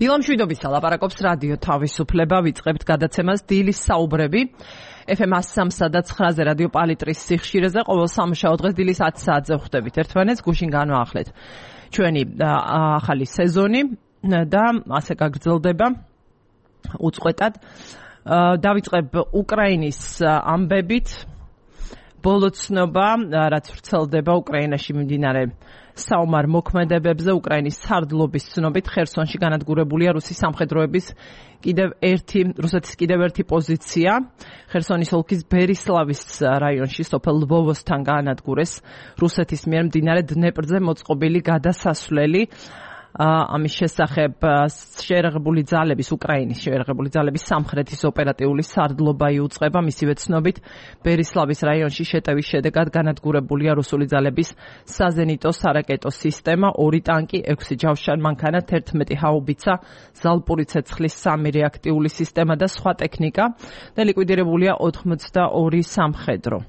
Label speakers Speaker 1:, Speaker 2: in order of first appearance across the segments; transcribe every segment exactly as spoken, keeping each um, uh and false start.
Speaker 1: დილამშვიდობისა ლაპარაკობს რადიო თავისუფლება, ვიწყებთ გადაცემას დილის საუბრები. ეფ ემ one oh three და nine-ზე რადიო პალიტრის სიხშირეზე ყოველ სამშაბათ დღეს დილის ათი საათზე ვხვდებით ერთმანეთს, გუშინ განვაახლეთ ჩვენი ახალი სეზონი და ასე გაგრძელდება უწყვეტად. დავიწყებ უკრაინის ამბებით. ბოლო ცნობა, რაც ვრცელდება უკრაინაში მიმდინარე საომარ მოქმედებებზე, უკრაინის სარდლობის ცნობით ხერსონში განადგურებულია რუსის სამხედროების კიდევ ერთი რუსეთის კიდევ ერთი პოზიცია. ხერსონის ოლქის ბერისლავის რაიონში სოფელ ლვოვოსთან განადგურეს რუსეთის მიერ მდინარე დნეპრზე მოწყობილი გადასასვლელი. ამის შესახებ შეერაღებული ძალების უკრაინის შეერაღებული ძალების სამხრეთის ოპერატიული სარდლობა იუწყება. მისივე ცნობით ბერისლავის რაიონში შეტევის შედეგად განადგურებულია რუსული ძალების საზენიტო სარაკეტო სისტემა, ორი ტანკი, ექვსი ჯავშან მანქანა, თერთმეტი ჰაუბიცა, ზალპური ცეცხლის სამი რეაქტიული სისტემა და სხვა ტექნიკა და ლიკვიდირებულია ოცდაორი სამხედრო.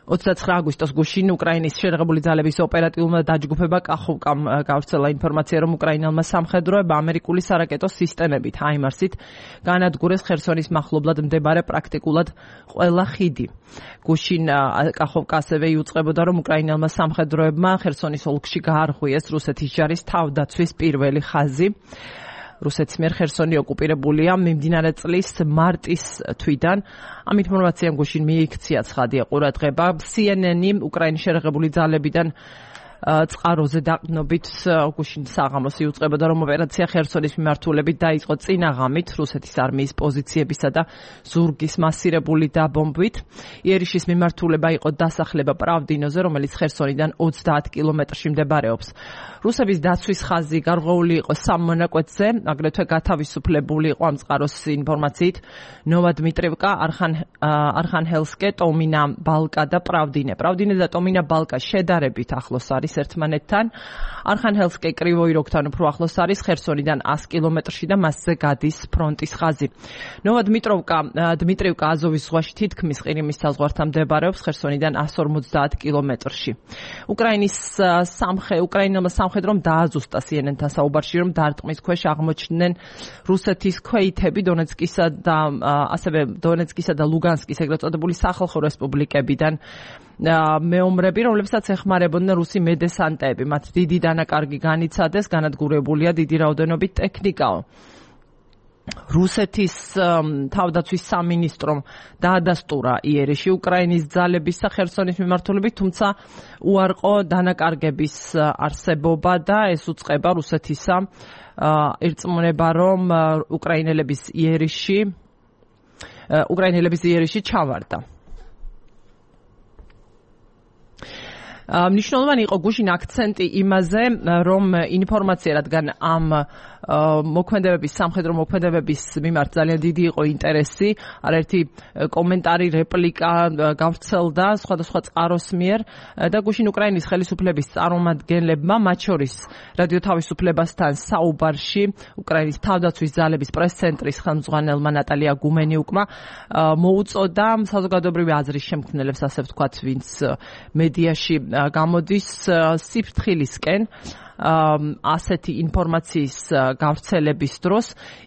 Speaker 1: ოცდაცხრა აგვისტოს გუშინ უკრაინის შეერაღებული ძალების ოპერატიულმა დაჯგუფება კახოვკამ გავრცელა ინფორმაცია, რომ უკრაინელმა სამხედროებმა ამერიკული სარაკეტო სისტემებით ჰაიმარსით განადგურეს ხერსონის მახლობლად მდებარე პრაქტიკულად ყველა ხიდი. გუშინ კახოვკა ასევე იუწყებოდა, რომ უკრაინელმა სამხედროებმა ხერსონის ოლქში გაარღვიეს რუსეთის ჯარის თავდაცვის პირველი ხაზი. რუსეთის მიერ ხერსონი ოკუპირებულია მიმდინარე წლის მარტის თვიდან. ამ ინფორმაციამ გუშინ მიიქცია ცხადია ყურადღება. სი ენ ენი უკრაინის შეერაღებული ძალებიდან წყაროზე დაყრდნობით გუშინ საღამოს იუწყებოდა, რომ ოპერაცია ხერსონის მიმართულებით დაიწყო წინა ღამით რუსეთის არმიის პოზიციებისა და ზურგის მასირებული დაბომბვით. იერიშის მიმართულება იყო დასახლება პრავდინოზე, რომელიც ხერსონიდან ოცდაათ კილომეტრში მდებარეობს. რუსების დაცვის ხაზი გარღვეული იყო სამ მონაკვეთზე, აგრეთვე გათავისუფლებული იყო ამ წყაროს ინფორმაციით ნოვადმიტრევკა, არხანჰელსკე, ტომინა ბალკა და პრავდინე. პრავდინე და ტომინა ბალკა შედარებით ახლოს არის ერთმანეთთან. არხანჰელსკე კრივოი როგთან უფრო ახლოს არის ხერსონიდან ას კილომეტრში და მასზე გადის ფრონტის ხაზი. ნოვადმიტროვკა, დმიტრევკა აზოვის ზღვაში თითქმის ყირიმის საზღვართან მდებარეობს, ხერსონიდან ას ორმოცდაათ კილომეტრში. უკრაინის სამხედრო უკრაინელმა სამხედრომ დააზუსტა სი ენ ენ-თან საუბარში, რომ დარტყმის ქვეშ აღმოჩნდნენ რუსეთის ქვეითები დონეცკისა და ასევე დონეცკისა და ლუგანსკის ეგრეთ წოდებული სახალხო რესპუბლიკებიდან მეომრები, რომლებსაც ეხმარებოდნენ რუსი მედესანტები. მათ დიდი დანაკარგი განიცადეს, განადგურებულია დიდი რაოდენობით ტექნიკაო. რუსეთის თავდაცვის სამინისტრომ დაადასტურა იერიში უკრაინის ძალების ხერსონის მიმართულებით, თუმცა უარყო დანაკარგების არსებობა და ეს უწყება რუსეთისა ირწმუნება, რომ უკრაინელების იერიში უკრაინელების იერიში ჩავარდა. მნიშვნელოვანი იყო გუშინ აქცენტი იმაზე, რომ ინფორმაცია, რადგან ამ მოქმედებების სამხედრო მოქმედებების მიმართ ძალიან დიდი იყო ინტერესი, არაერთი კომენტარი, რეპლიკა გავრცელდა სხვადასხვა წყაროს მიერ და გუშინ უკრაინის ხელისუფლების წარმომადგენლებმა, მათ შორის რადიო თავისუფლებასთან საუბარში უკრაინის თავდაცვის ძალების პრეს-ცენტრის ხელმძღვანელმა ნატალია გუმენიუკმა მოუწოდა საზოგადოებრივი აზრის შემქმნელებს, ასე ვთქვათ, ვინც მედიაში გამოდის სიფრთხილისკენ ასეთი ინფორმაციის გავრცელების დროს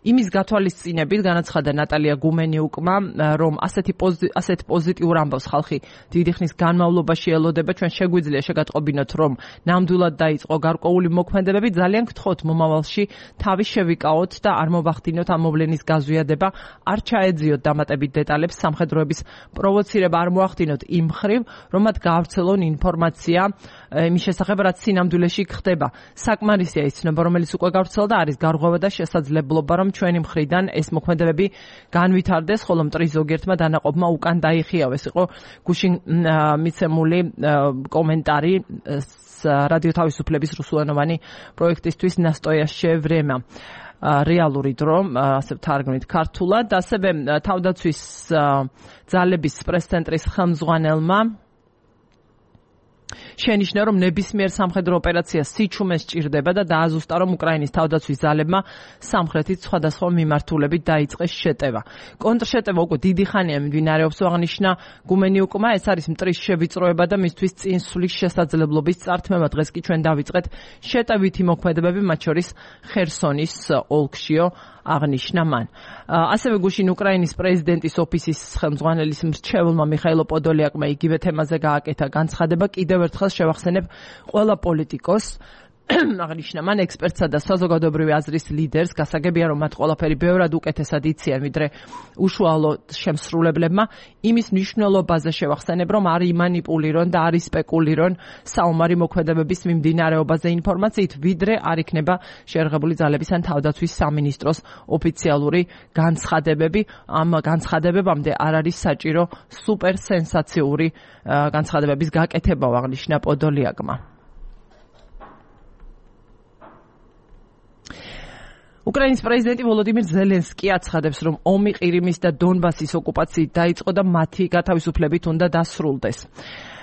Speaker 1: იმის გათვალისწინებით განაცხადა ნატალია გუმენიუკმა, რომ ასეთი ასეთ პოზიტიურ ამბავს ხალხი დიდი ხნის განმავლობაში ელოდება. ჩვენ შეგვიძლია შეგატყობინოთ, რომ ნამდვილად დაიწყო გარკვეული მოქმედებები, ძალიან გთხოვთ მომავალში თავი შევიკავოთ და არ მოვახდინოთ ამ მოვლენის გაზვიადება, არ ჩაეძიოთ დამატებით დეტალებს, სამხედროების პროვოცირება არ მოახდინოთ იმ მხრივ, რომ მათ გაავრცელონ ინფორმაცია იმის შესახებ, რაც სინამდვილეში ხდება. საკმარისია ის ცნობა, რომელიც უკვე გავრცელდა, არის გარღვევა და შესაძლებლობა, რომ ჩვენი მხრიდან ეს მოქმედებები განვითარდეს, ხოლო მტრის ზოგიერთმა დანაყოფმა უკან დაიხიავეს. იყო გუშინ მიცემული კომენტარი რადიო თავისუფლების რუსულენოვანი პროექტისთვის ნასტოიაშე ვრემა. რეალური დრო, ასე ვთარგმნით ქართულად, ასევე თავდაცვის ძალების პრეს-ცენტრის ხელმძღვანელმა შენიშნა, რომ ნებისმიერ სამხედრო ოპერაციას სიჩუმე სჭირდება და დააზუსტა, რომ უკრაინის თავდაცვის ძალებმა სამხრეთით სხვადასხვა მიმართულებით დაიწყეს შეტევა. კონტრშეტევა უკვე დიდი ხანია მიმდინარეობს, აღნიშნა გუმენიუკმა. ეს არის მტრის შევიწროება და მისთვის წინსვლის შესაძლებლობის წართმევა. დღეს კი ჩვენ დავიწყეთ შეტევითი მოქმედებები, მათ შორის ხერსონის ოლქშიო, აღნიშნა მან. ასევე გუშინ უკრაინის პრეზიდენტის ოფისის ხელმძღვანელის მრჩეველმა მიხაილო პოდოლიაკმა იგივე თემაზე გააკეთა განცხადება. კიდევ ერთხელ შევახსენებ ყველა პოლიტიკოს, აღნიშნა მან, ექსპერტსა და საზოგადოებრივი აზრის ლიდერს, გასაგებია, რომ მათ ყველაფერი ბევრად უკეთესად იციან, ვიდრე უშუალო შემსრულებლებმა. იმის მნიშვნელობაზე შევახსენებ, რომ არ იმანიპულირონ და არ ისპეკულირონ საომარი მოქმედებების მიმდინარეობაზე ინფორმაციით, ვიდრე არ იქნება შეერაღებული ძალების ან თავდაცვის სამინისტროს ოფიციალური განცხადებები. ამ განცხადებებამდე არ არის საჭირო სუპერ სენსაციური განცხადებების გაკეთება, აღნიშნა პოდოლიაკმა. უკრაინის პრეზიდენტი ვოლოდიმირ ზელენსკი აცხადებს, რომ ომი ყირიმის და დონბასის ოკუპაციით დაიწყო და მათი გათავისუფლებით უნდა დასრულდეს.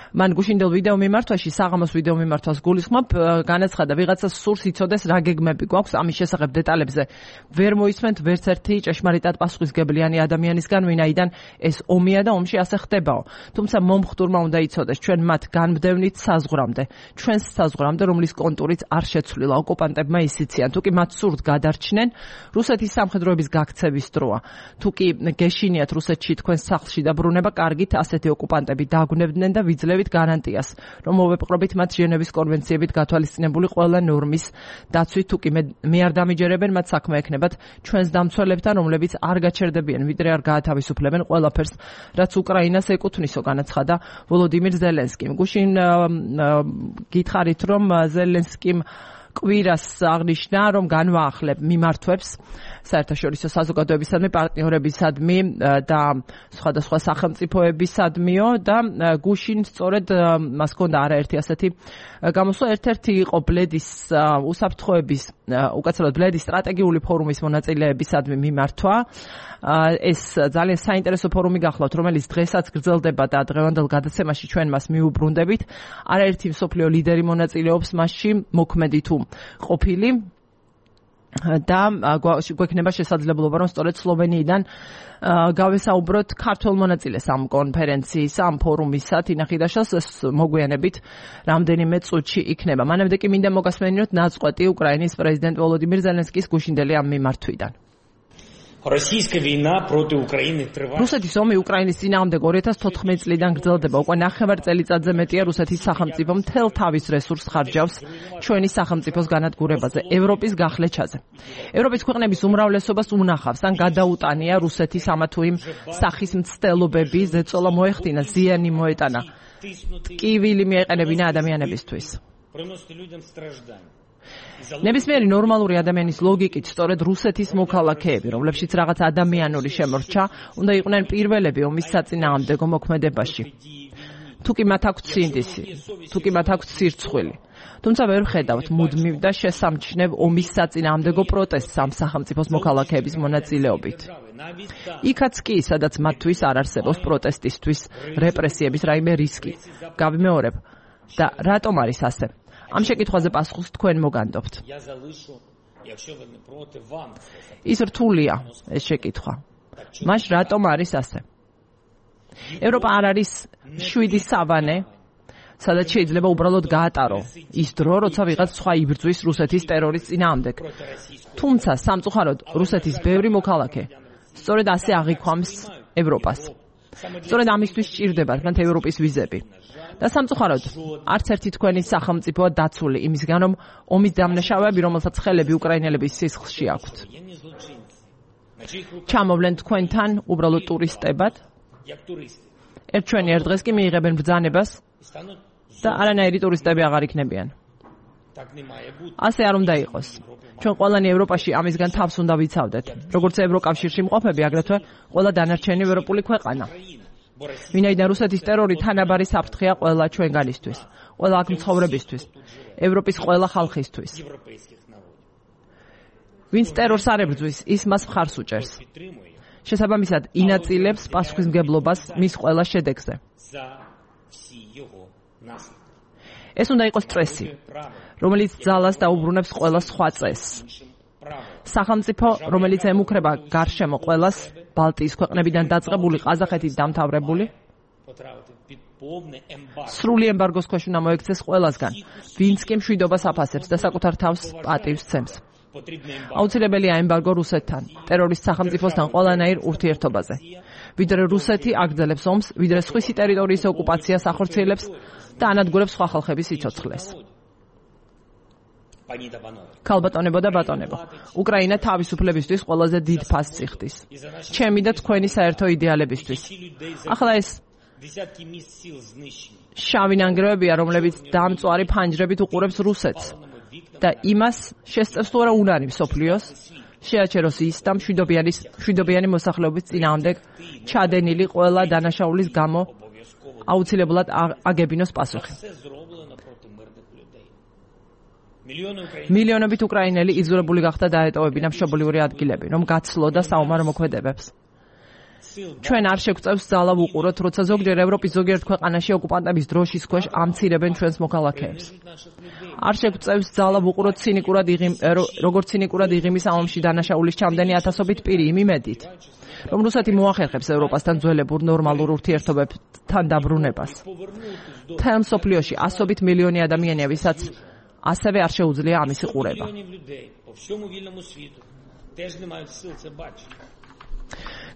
Speaker 1: მან გუშინდელ ვიდეო მიმართვაში, საღამოს ვიდეო მიმართვას გულისხმობ, განაცხადა, ვიღაცას სურს იცოდეს რა გეგმები გვაქვს ამის შესახებ დეტალებზე. ვერ მოისმენთ ვერც ერთი ჭეშმარიტად პასუხისმგებლიანი ადამიანისგან, ვინაიდან ეს ომია და ომში ასე ხდებაო. თუმცა მომხდურმა უნდა იცოდეს, ჩვენ მათ განმდევნით საზღვრამდე, ჩვენს საზღვრამდე, რომლის კონტურიც არ შეცვლილა. ოკუპანტებმა ისიციან, თუ კი მათ სურთ გადარჩნენ, რუსეთის სამხედროების გაქცევის დროა. თუ კი გეშინიათ რუსეთში თქვენ სახლში დაბრუნება, კარგით, ასეთი ოკუპანტები დაგვნებდნენ და ვიძლევით გარანტიას, რომ მოვეპყრობით მათ ჟენევის კონვენციებით გათვალისწინებული ყველა ნორმის დაცვით. თუ კი მე არ დამიჯერებენ, მათ საქმე ექნებათ ჩვენს დამცველებთან, რომლებიც არ გაჩერდებიან, ვიდრე არ გაათავისუფლებენ ყველაფერს, რაც უკრაინას ეკუთვნისო, განაცხადა ვოლოდიმირ ზელენსკიმ. გუშინ გითხარით, რომ ზელენსკიმ კვირას აღნიშნა, რომ განვაახლებ მიმართვებს საერთაშორისო საზოგადოებისადმი, პარტნიორებისადმი და სხვადასხვა სახელმწიფოებისადმიო და გუშინ სწორედ მას ჰქონდა არაერთი ასეთი გამოსვლა. ერთ-ერთი იყო ბლედის უსაფრთხოების, უკაცრავად ბლედის სტრატეგიული ფორუმის მონაწილეებისადმი მიმართვა. ეს ძალიან საინტერესო ფორუმი გახლავთ, რომელიც დღესაც გრძელდება და დღევანდელ გადაცემაში ჩვენ მას მიუბრუნდებით. არაერთი მსოფლიო ლიდერი მონაწილეობს მასში, მოქმედი თუ ყოფილი და გვექნება შესაძლებლობა, რომ სწორედ სლოვენიიდან გავესაუბროთ ქართველ მონაწილეს ამ კონფერენციის, ამ ფორუმისა, თინახიდაშას. ეს მოგვიანებით რამდენიმე წუთში იქნება. მანამდე კი მინდა მოგასმენინოთ ნაწყვეტი უკრაინის პრეზიდენტ ვოლოდიმირ ზელენსკის გუშინდელი ამ მიმართვიდან. რუსეთის ომი უკრაინის წინააღმდეგ ორი ათას თოთხმეტი წლიდან გრძელდება. უკვე ნახევარ წელიწადზე მეტია რუსეთის სახელმწიფო მთელ თავის რესურსს ხარჯავს ჩვენი სახელმწიფოს განადგურებაზე, ევროპის გახლეჩაზე. ევროპის ქვეყნების უმრავლესობას უნახავს ან გადაუტანია რუსეთის ამა თუ იმ სახის მცდელობები, ზეწოლა მოეხდინა, ზიანი მოეტანა, ტკივილი მიეყენებინა ადამიანებისთვის. ნებისმიერი ნორმალური ადამიანის ლოგიკით სწორედ რუსეთის მოქალაქეები, რომლებშიც რაღაც ადამიანური შემორჩა, უნდა იყვნენ პირველები ომის საწინააღმდეგო მოქმედებაში. თუ კი მათ აქვთ სინდისი, თუ კი მათ აქვთ სირცხვილი. თუმცა ვერ ვხედავთ მუდმივ და შესამჩნევ ომის საწინააღმდეგო პროტესტს ამ სახელმწიფოს მოქალაქეების მონაწილეობით. იქაც კი, სადაც მათთვის არ არსებობს პროტესტისთვის რეპრესიების რაიმე რისკი. გავიმეორებ. და რატომ არის ასე? ამ შეკითხვაზე პასუხს თქვენ მოგანდობთ. ის რთულია ეს შეკითხვა. მას რატომ არის ასე? ევროპა არ არის შვიდი სავანე, სადაც შეიძლება უბრალოდ გაატარო ის დრო, როცა ვიღაც სხვა იბრძვის რუსეთის ტერორის წინააღმდეგ. თუმცა სამწუხაროდ რუსეთის ბევრი მოქალაქე სწორედ ასე აღიქვამს ევროპას. სწორედ ამისთვის სჭირდებათ მათ ევროპის ვიზები. და სამწუხაროდ არც ერთი თქვენი სახელმწიფოა დაცული იმისგან, რომ ომის დამნაშავეები, რომელსაც ხელები უკრაინელების სისხლში აქვთ, ჩამოვლენ თქვენთან უბრალოდ ტურისტებად. ერთ ჩვენი ერთ დღეს კი მიიღებენ ბრძანებას და არანაირი ტურისტები აღარ იქნებიან. ასე არ უნდა იყოს. ჩვენ ყველანი ევროპაში ამისგან თავს უნდა ვიცავდეთ. როგორც ევროკავშირში მყოფები, აგრეთვე ყველა დანარჩენი ევროპული ქვეყანა. ვინაიდან რუსეთის ტერორი თანაბარი საფრთხეა ყველა ჩვენგანისთვის, ყველა აქ მცხოვრებისთვის, ევროპის ყველა ხალხისთვის. ვინც ტერორს არ ებრძვის, ის მას მხარს უჭერს. შესაბამისად, ინაწილებს პასუხისმგებლობას მის ყველა შედეგზე. ეს უნდა იყოს წესი, რომელიც ძალას დაუბრუნებს ყველა სხვა წესს. სახელმწიფო, რომელიც ემუქრება გარშემო ყველას, ბალტიის ქვეყნებიდან დაწყებული, ყაზახეთით დამთავრებული, სრული ემბარგოს ქვეშ უნდა მოექცეს ყველასგან, ვინც კი მშვიდობას აფასებს და საკუთარ თავს პატივს ცემს. აუცილებელია ემბარგო რუსეთთან, ტერორისტ სახელმწიფოსთან ყველანაირ ურთიერთობაზე. ვიდრე რუსეთი აგრძელებს ომს, ვიდრე სხვისი ტერიტორიის ოკუპაციას ახორციელებს და ანადგურებს სხვა ხალხების სიცოცხლეს. ქალბატონებო და ბატონებო, უკრაინა თავისუფლებისთვის ყველაზე დიდ ფასს იხდის. ჩემი და თქვენი საერთო იდეალებისთვის. ახლა ეს შავი ნანგრევებია, რომლებიც დამწვარი ფანჯრებით უყურებს რუსეთს და იმას შესწევს თუ არა უნარი მსოფლიოს, შეაჩეროს ის და მშვიდობიანი მოსახლეობის წინააღმდეგ ჩადენილი ყველა დანაშაულის გამო აუცილებლად აგებინოს პასუხი. მილიონობით უკრაინელი იზოლებული გახდა დაეტოვებინა მშობლიური ადგილები, რომ გაცლოდა საომარ მოქმედებებს. ჩვენ არ შეგვწევს ძალა ვუყუროთ, როცა ზოგჯერ ევროპის ზოგიერთ ქვეყანაში ოკუპანტების დროშის ქვეშ ამცირებენ ჩვენს მოქალაქეებს. არ შეგვწევს ძალა ვუყუროთ ცინიკურად იღიმ, როგორც ცინიკურად იღიმის ომში დანაშაულის ჩამდენი ათასობით პირი იმ იმედით, რომ რუსეთი მოახერხებს ევროპასთან ძველებურ ნორმალურ ურთიერთობებთან დაბრუნებას. მთელ მსოფლიოში ასობით მილიონი ადამიანია, ვისაც ასევე არ შეუძლია ამის ყურება.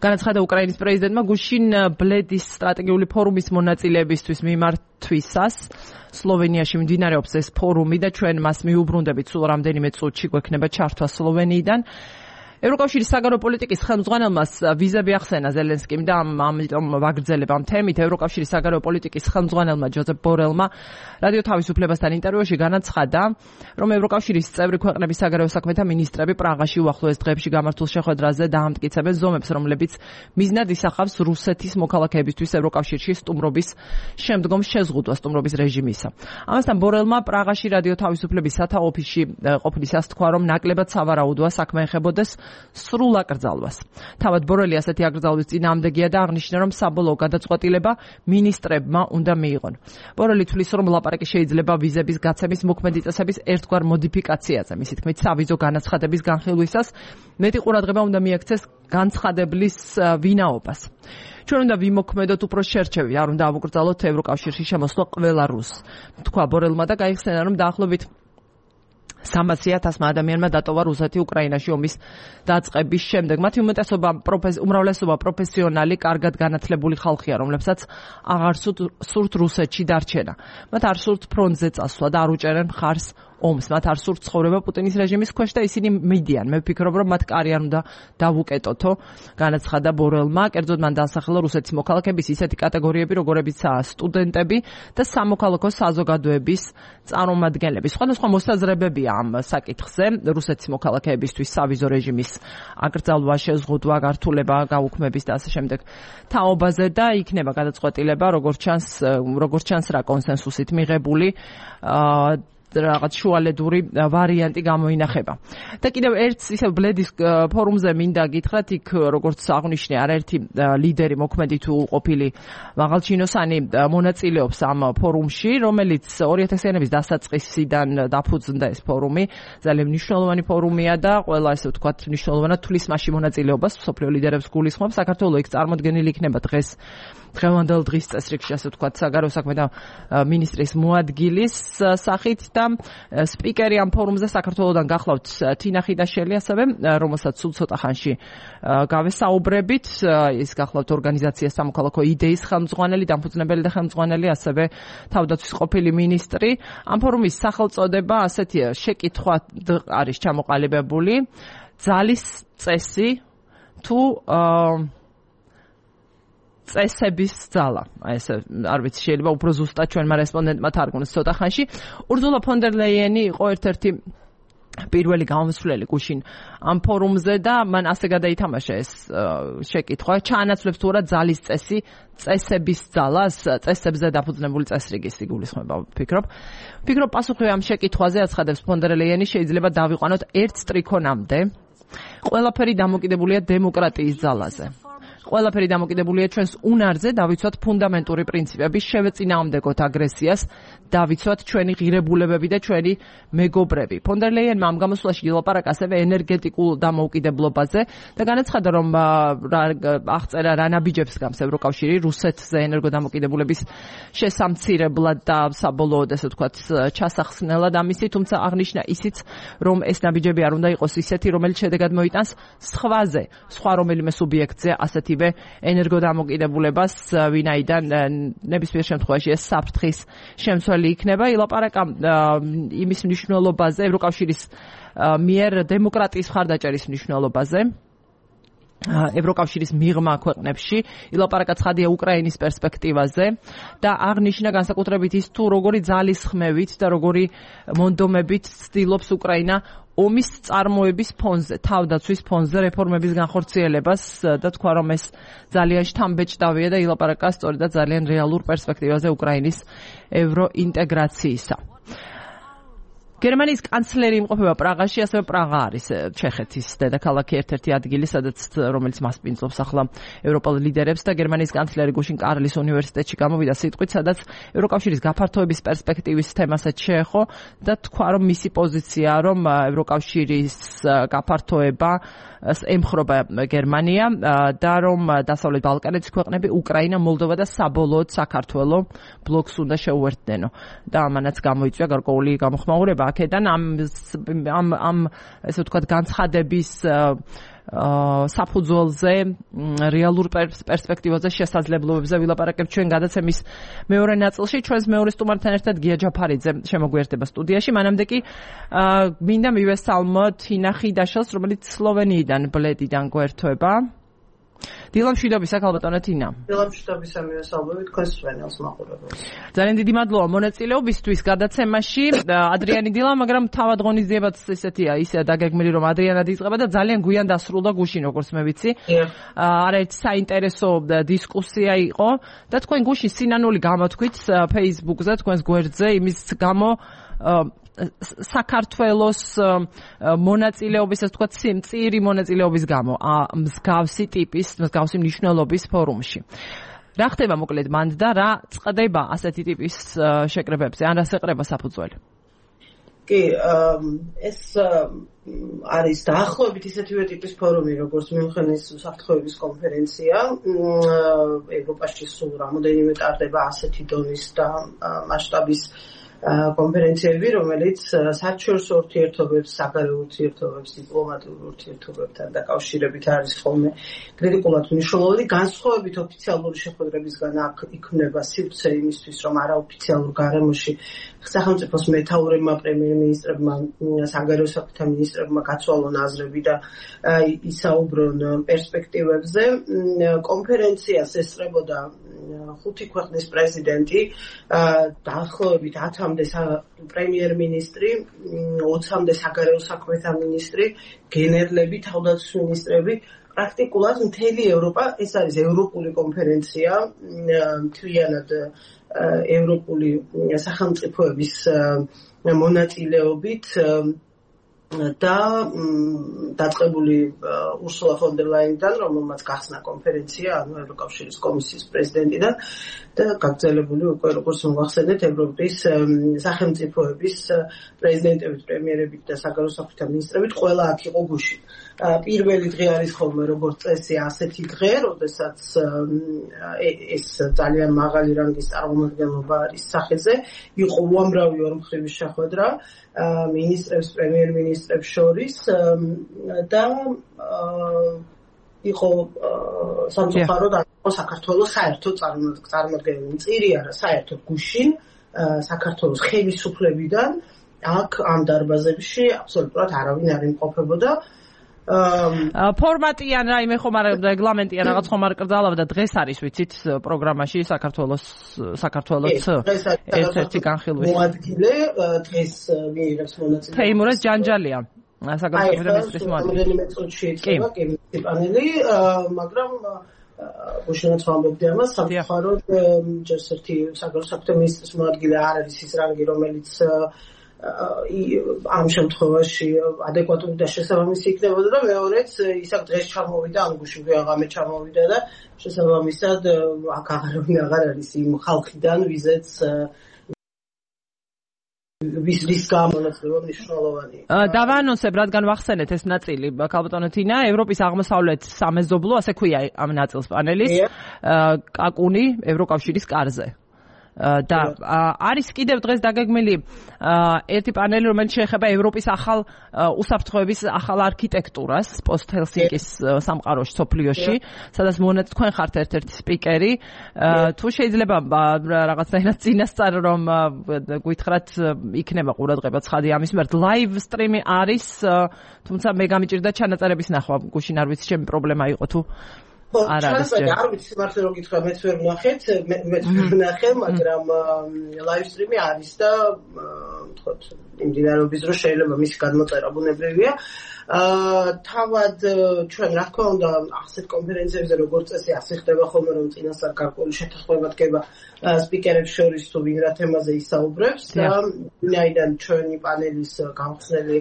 Speaker 1: განაცხადა უკრაინის პრეზიდენტმა გუშინ ბლედის სტრატეგიული ფორუმის მონაწილეებისთვის მიმართვისას. სლოვენიაში მიმდინარეობს ეს ფორუმი და ჩვენ მას მიუბრუნდებით სულ რამდენიმე წუთში გვექნება ჩართვა სლოვენიიდან. ევროკავშირის საგარეო პოლიტიკის ხელმძღვანელმა ვიზები ახსენა ზელენსკიმ და ამიტომ ვაგრძელებ ამ თემით. ევროკავშირის საგარეო პოლიტიკის ხელმძღვანელმა ჯოზეფ ბორელმა რადიო თავისუფლებასთან ინტერვიუში განაცხადა, რომ ევროკავშირის წევრი ქვეყნების საგარეო საქმეთა მინისტრები პრაღაში უახლოეს დღეებში გამართულ შეხვედრაზე დაამტკიცებენ ზომებს, რომლებიც მიზნად ისახავს რუსეთის მოქალაქეებისთვის ევროკავშირში სტუმრობის შემდგომ შეზღუდვა სტუმრობის რეჟიმისა. ამასთან ბორელმა პრაღაში რადიო თავისუფლების სათა ოფისში ყოფნისას თქვა, რომ ნაკლებად სავარაუდოა საქმე ეხებოდეს სრულ აკრძალვას. თავად ბორელი ასეთი აკრძალვის წინააღმდეგია და აღნიშნა, რომ საბოლოო გადაწყვეტილება მინისტრებმა უნდა მიიღონ. ბორელი თვლის, რომ ლაპარაკი შეიძლება ვიზების გაცემის მოქმედი წესების ერთგვარ მოდიფიკაციაზე, მისი თქმით, სავიზო განაცხადების განხილვისას მეტი ყურადღება უნდა მიაქცეს განცხადებლის ვინაობას. ჩვენ უნდა ვიმოქმედოთ უფრო შერჩევი, არ უნდა ავუკრძალოთ ევროკავშირში შემოსვლა ყველა რუსს. თქვა ბორელმა და გაიხსენა, რომ დაახლოებით სამასი ათასმა ადამიანმა დატოვა რუსეთი უკრაინაში ომის დაწყების შემდეგ. მათი უმეტესობა უმრავლესობა პროფესიონალი, კარგად განათლებული ხალხია, რომლებსაც აღარ სურთ რუსეთში დარჩენა. მათ არ სურთ ფრონტზე წასვლა და არ უჭერენ მხარს ომს. მათ არ სურთ ცხოვრება პუტინის რეჟიმის ქვეშ და ისინი მიდიან. მე ვფიქრობ, რომ მათ კარი არ უნდა დავუკეტოთო, განაცხადა ბორელმა. კერძოდ მან დაასახელა რუსეთის მოქალაქეების ისეთი კატეგორიები, როგორებიცაა სტუდენტები და სამოქალაქო საზოგადოების წარმომადგენლები. სხვადასხვა მოსაზრებებია ამ საკითხზე. რუსეთის მოქალაქეებისთვის სავიზო რეჟიმის აკრძალვა, შეზღუდვა, გართულება, გაუქმების და ასე შემდეგ თაობაზე და იქნება გადაწყვეტილება, როგორც ჩანს, როგორც ჩანს რა კონსენსუსით მიღებული რაღაც შუალედური ვარიანტი გამოინახება. და კიდევ ერთ ისე ბლედის ფორუმზე მინდა გითხრათ, იქ როგორც აღნიშნე, არაერთი ლიდერი მოქმედი თუ ყოფილი მაღალჩინოსანი მონაწილეობს ამ ფორუმში, რომელიც ორი ათასი იანების დასაწყისიდან დაფუძნდა ეს ფორუმი. ძალიან მნიშვნელოვანი ფორუმია და ყველა ესე ვთქვათ მნიშვნელოვანად თulis მასში მონაწილეობას მსოფლიო ლიდერებს გულისხმობს. საქართველოს იქ წარმოდგენილი იქნება დღეს დღევანდელ დღის წესრიგში, ასე ვთქვათ, საგარეო საქმეთა მინისტრის მოადგილის სახით და სპიკერი ამ ფორუმზე საქართველოსდან გახლავთ თინა ხიდაშელი, ასევე რომელსაც სულ ცოტა ხანში გავესაუბრებით. ის გახლავთ ორგანიზაცია სამოქალაქო იდეის ხელმძღვანელი, დამფუძნებელი და ხელმძღვანელი, ასევე თავდაცვის ყოფილი მინისტრი. ამ ფორუმის სახელწოდება ასეთია, შეკითხვა არის ჩამოყალიბებული, ძალის წესი თუ წესების ძალა. აი ეს არ ვიცი, შეიძლება უფრო ზუსტად ჩვენმა რესპონდენტმა თარგმნოს ცოტა ხანში. ურზულა ფონ დერ ლეიენი იყო ერთ-ერთი პირველი გამოსვლელი გუშინ ამ ფორუმზე და მან ასე გადაითამაშა ეს შეკითხვა, ჩაანაცვლებს თუ არა ძალის წესი წესების ძალას, წესებზე დაფუძნებული წესრიგის იგულისხმება, ვფიქრობ. ვფიქრობ პასუხი ამ შეკითხვაზე აცხადებს ფონ დერ ლეიენი, შეიძლება დავიყვანოთ ერთ სტრიქონამდე. ყველაფერი დამოკიდებულია დემოკრატიის ძალაზე. ყველაფერი დამოკიდებულია ჩვენს უნარზე დავიცვათ ფუნდამენტური პრინციპები, შევეწინააღმდეგოთ აგრესიას, დავიცვათ ჩვენი ღირებულებები და ჩვენი მეგობრები. ფონ დერ ლეიენმა ამ გამოსვლაში ილაპარაკა ასევე ენერგეტიკულ დამოუკიდებლობაზე და განაცხადა, რომ აღწერა რა ნაბიჯებს გავს ევროკავშირი რუსეთზე ენერგოდამოკიდებულების შესამცირებლად და საბოლოოდ ესე ვთქვათ ჩასახსნელად ამისი, თუმცა აღნიშნა ისიც, რომ ეს ნაბიჯები არ უნდა იყოს ისეთი, რომელიც შედეგად მოიტანს სხვაზე, სხვა რომელიმე სუბიექტზე ასეთივე ენერგოდამოკიდებულებას, ვინაიდან ნებისმიერ შემთხვევაში ეს საფრთხის შემცველი იქნება. ილაპარაკა იმის მნიშვნელობაზე, ევროკავშირის მიერ დემოკრატიის მხარდაჭერის მნიშვნელობაზე ევროკავშირის მიღმა ქვეყნებში, ილაპარაკა ცხადია უკრაინის პერსპექტივაზე და აღნიშნა განსაკუთრებით ის თუ როგორი ძალისხმევით და როგორი მონდომებით ცდილობს უკრაინა ომის წარმოების ფონზე, თავდაცვის ფონზე რეფორმების განხორციელებას და თქვა, რომ ეს ძალიან შთამბეჭდავია და ილაპარაკა სწორედ ძალიან რეალურ პერსპექტივაზე უკრაინის ევროინტეგრაციისა. გერმანიის კანცლერი იმყოფება პრაღაში, ასევე პრაღა არის ჩეხეთის დედაქალაქი, ერთ-ერთი ადგილი, სადაც რომელიც მასპინძლობს ახლა ევროპელ ლიდერებს და გერმანიის კანცლერი გუშინ კარლის უნივერსიტეტში გამოვიდა სიტყვით, სადაც ევროკავშირის გაფართოების პერსპექტივის თემასაც შეეხო და თქვა, რომ მისი პოზიცია, რომ ევროკავშირის გაფართოება ემხრობა გერმანია და რომ დასავლეთ ბალკანეთის ქვეყნები, უკრაინა, მოლდოვა და საბოლოოდ საქართველო ბლოკს უნდა შეუერთდნენო. და ამანაც გამოიწვია გარკვეული გამოხმაურება აქედან ამ ამ ამ ესე ვთქვათ განცხადების საფუძველზე, რეალურ პერსპექტივაზე, შესაძლებლობებზე ვილაპარაკებთ ჩვენ გადაცემის მეორე ნაწილში. ჩვენს მეორე სტუმართან ერთად გია ჯაფარიძე შემოგვიერთდება სტუდიაში. მანამდე კი მინდა მივესალმოთ თინა ხიდაშელს, რომელიც სლოვენიიდან, ბლედიდან გვერდება. დილა მშვიდობისა, ქალბატონო თინა.
Speaker 2: დილა მშვიდობისა, მივესალმებით თქვენს სვენელს მაყურებელს.
Speaker 1: ძალიან დიდი მადლობა მონაწილეობისთვის გადაცემაში. ადრიანი დილა, მაგრამ თავად ღონისძიებაც ესეთია, ისე დაგეგმილი, რომ ადრიანად იწყება და ძალიან გვიან დასრულდა გუშინ, როგორც მე ვიცი. არაერთი საინტერესო დისკუსია იყო და თქვენ გუშინ სინანული გამოთქვით Facebook-ზე, თქვენს გვერდზე, იმის გამო საქართველოს მონაწილეობის, ასე ვთქვათ, წირი მონაწილეობის გამო მსგავსი ტიპის, მსგავსი მნიშვნელობის ფორუმში. რა ხდება მოკლედ მანდ და რა წყდება ასეთი ტიპის შეკრებებზე, ან რას ეყრება საფუძველი?
Speaker 2: კი, ეს არის დაახლოებით ისეთივე ტიპის ფორუმი, როგორც მიუნხენის უსაფრთხოების კონფერენცია. ევროპაში სულ რამოდენიმე ტარდება ასეთი დონის და მასშტაბის კონფერენციები, რომელიც საერთაშორისო ურთიერთობებს, საგარეო ურთიერთობებს, დიპლომატიურ ურთიერთობებთან დაკავშირებით არის ხოლმე კრიტიკულად მნიშვნელოვანი. განსხვავებით ოფიციალური შეხვედრებისგან აქ იქმნება სივრცე იმისთვის, რომ არაოფიციალურ გარემოში სახელმწიფოს მეთაურებმა, პრემიერ-მინისტრებმა, საგარეო საქმეთა მინისტრებმა გაცვალონ აზრები და ისაუბრონ პერსპექტივებზე. კონფერენციას ესწრებოდა ხუთი ქვეყნის პრეზიდენტი, დაახლოებით ათამდე პრემიერ-მინისტრი, ოცამდე საგარეო საქმეთა მინისტრი, გენერლები, თავდაცვის მინისტრები. პრაქტიკულად მთელი ევროპა, ეს არის ევროპული კონფერენცია, მთლიანად ევროპული სახელმწიფოების მონაწილეობით და დაწყებული ურსულა ფონ დერ ლაიენიდან, რომელმაც გახსნა კონფერენცია, ანუ ევროკავშირის კომისიის პრეზიდენტიდან და გაგრძელებული უკვე, როგორც მოგახსენეთ, ევროპის სახელმწიფოების პრეზიდენტებით, პრემიერებით და საგარეო საქმეთა მინისტრებით, ყველა აქ იყო გუშინ. პირველი დღე არის ხოლმე როგორც წესი ასეთი დღე, როდესაც ეს ძალიან მაღალი რანგის წარმომადგენლობა არის სახეზე, იყო უამრავი ორმხრივი შეხვედრა მინისტრებს, პრემიერ-მინისტრებს შორის და იყო სამწუხაროდ საქართველოს საერთოდ წარმოადგენელი წირი არა, საერთოდ გუშინ საქართველოს ხელისუფლებიდან აქ ამ დარბაზებში აბსოლუტურად არავინ არ იმყოფებოდა.
Speaker 1: ფორმატი ან რაიმე ხომ არ რეგლამენტი ან რაღაც ხომ არ კრძალავდა და დღეს არის ვიცით პროგრამაში საქართველოს საქართველოს ერთ-ერთი განხილვის
Speaker 2: მოადგილე დღეს მიიღებს მონაწილეობას
Speaker 1: თეიმურაზ ჯანჯალია საგარეო მინისტრის მოადგილე
Speaker 2: პანელი, მაგრამ უშენოდ ვამბობდი ამას, სამწუხაროდ ჯერ ერთი საგარეო საქმეთა მინისტრის მოადგილე არ არის ის რანგი, რომელიც ამ შემთხვევაში ადეკვატური და შესაბამისი იქნებოდა და მეორეც ისაკ დღეს ჩამოვიდა ამ გუშინ ვეღამე ჩამოვიდა და შესაბამისად აქ აღარავინ აღარ არის იმ ხალხიდან ვიზეც ვის ვის გამონაცვლება მნიშვნელოვანია.
Speaker 1: დავაანონსებ, რადგან ვახსენეთ ეს ნაწილი, ქალბატონო თინა, ევროპის აღმოსავლეთ სამეზობლო, ასე ქვია ამ ნაწილს პანელის, კაკუნი ევროკავშირის კარზე. და არის კიდევ დღეს დაგეგმილი ერთი პანელი, რომელიც შეეხება ევროპის ახალ უსაფრთხოების ახალ არქიტექტურას პოსტ-ჰელსინკის სამყაროში, სოფლიოში, სადაც მონაწილე თქვენ ხართ ერთ-ერთი სპიკერი. თუ შეიძლება რაღაცნაირად წინასწარ რომ გვითხრათ, იქნება ყურადღება ცხადი ამის მიმართ. ლაივ სტრიმი არის, თუმცა მე გამიჭირდა ჩანაწერების ნახვა, გუშინ არ ვიცი, ჩემი პრობლემა იყო თუ
Speaker 2: არ არის არ ვიცი მართლა რომ გითხრა მეც ვერ ვნახეთ მეც ვერ ვნახე მაგრამ ლაივ სტრიმი არის და ვთქვათ იმდინარეობის დრო შეიძლება მისი გადმოწერა ბუნებრივია თავად ჩვენ რა თქმა უნდა ასეთ კონფერენციებზე როგორც წესი ასე ხდება ხოლმე რომ წინასწარ გარკვეული შეთანხმება დგება სპიკერებს შორის თუ ვინ რა თემაზე ისაუბრებს და ვინაიდან ჩვენი პანელის გამხსნელი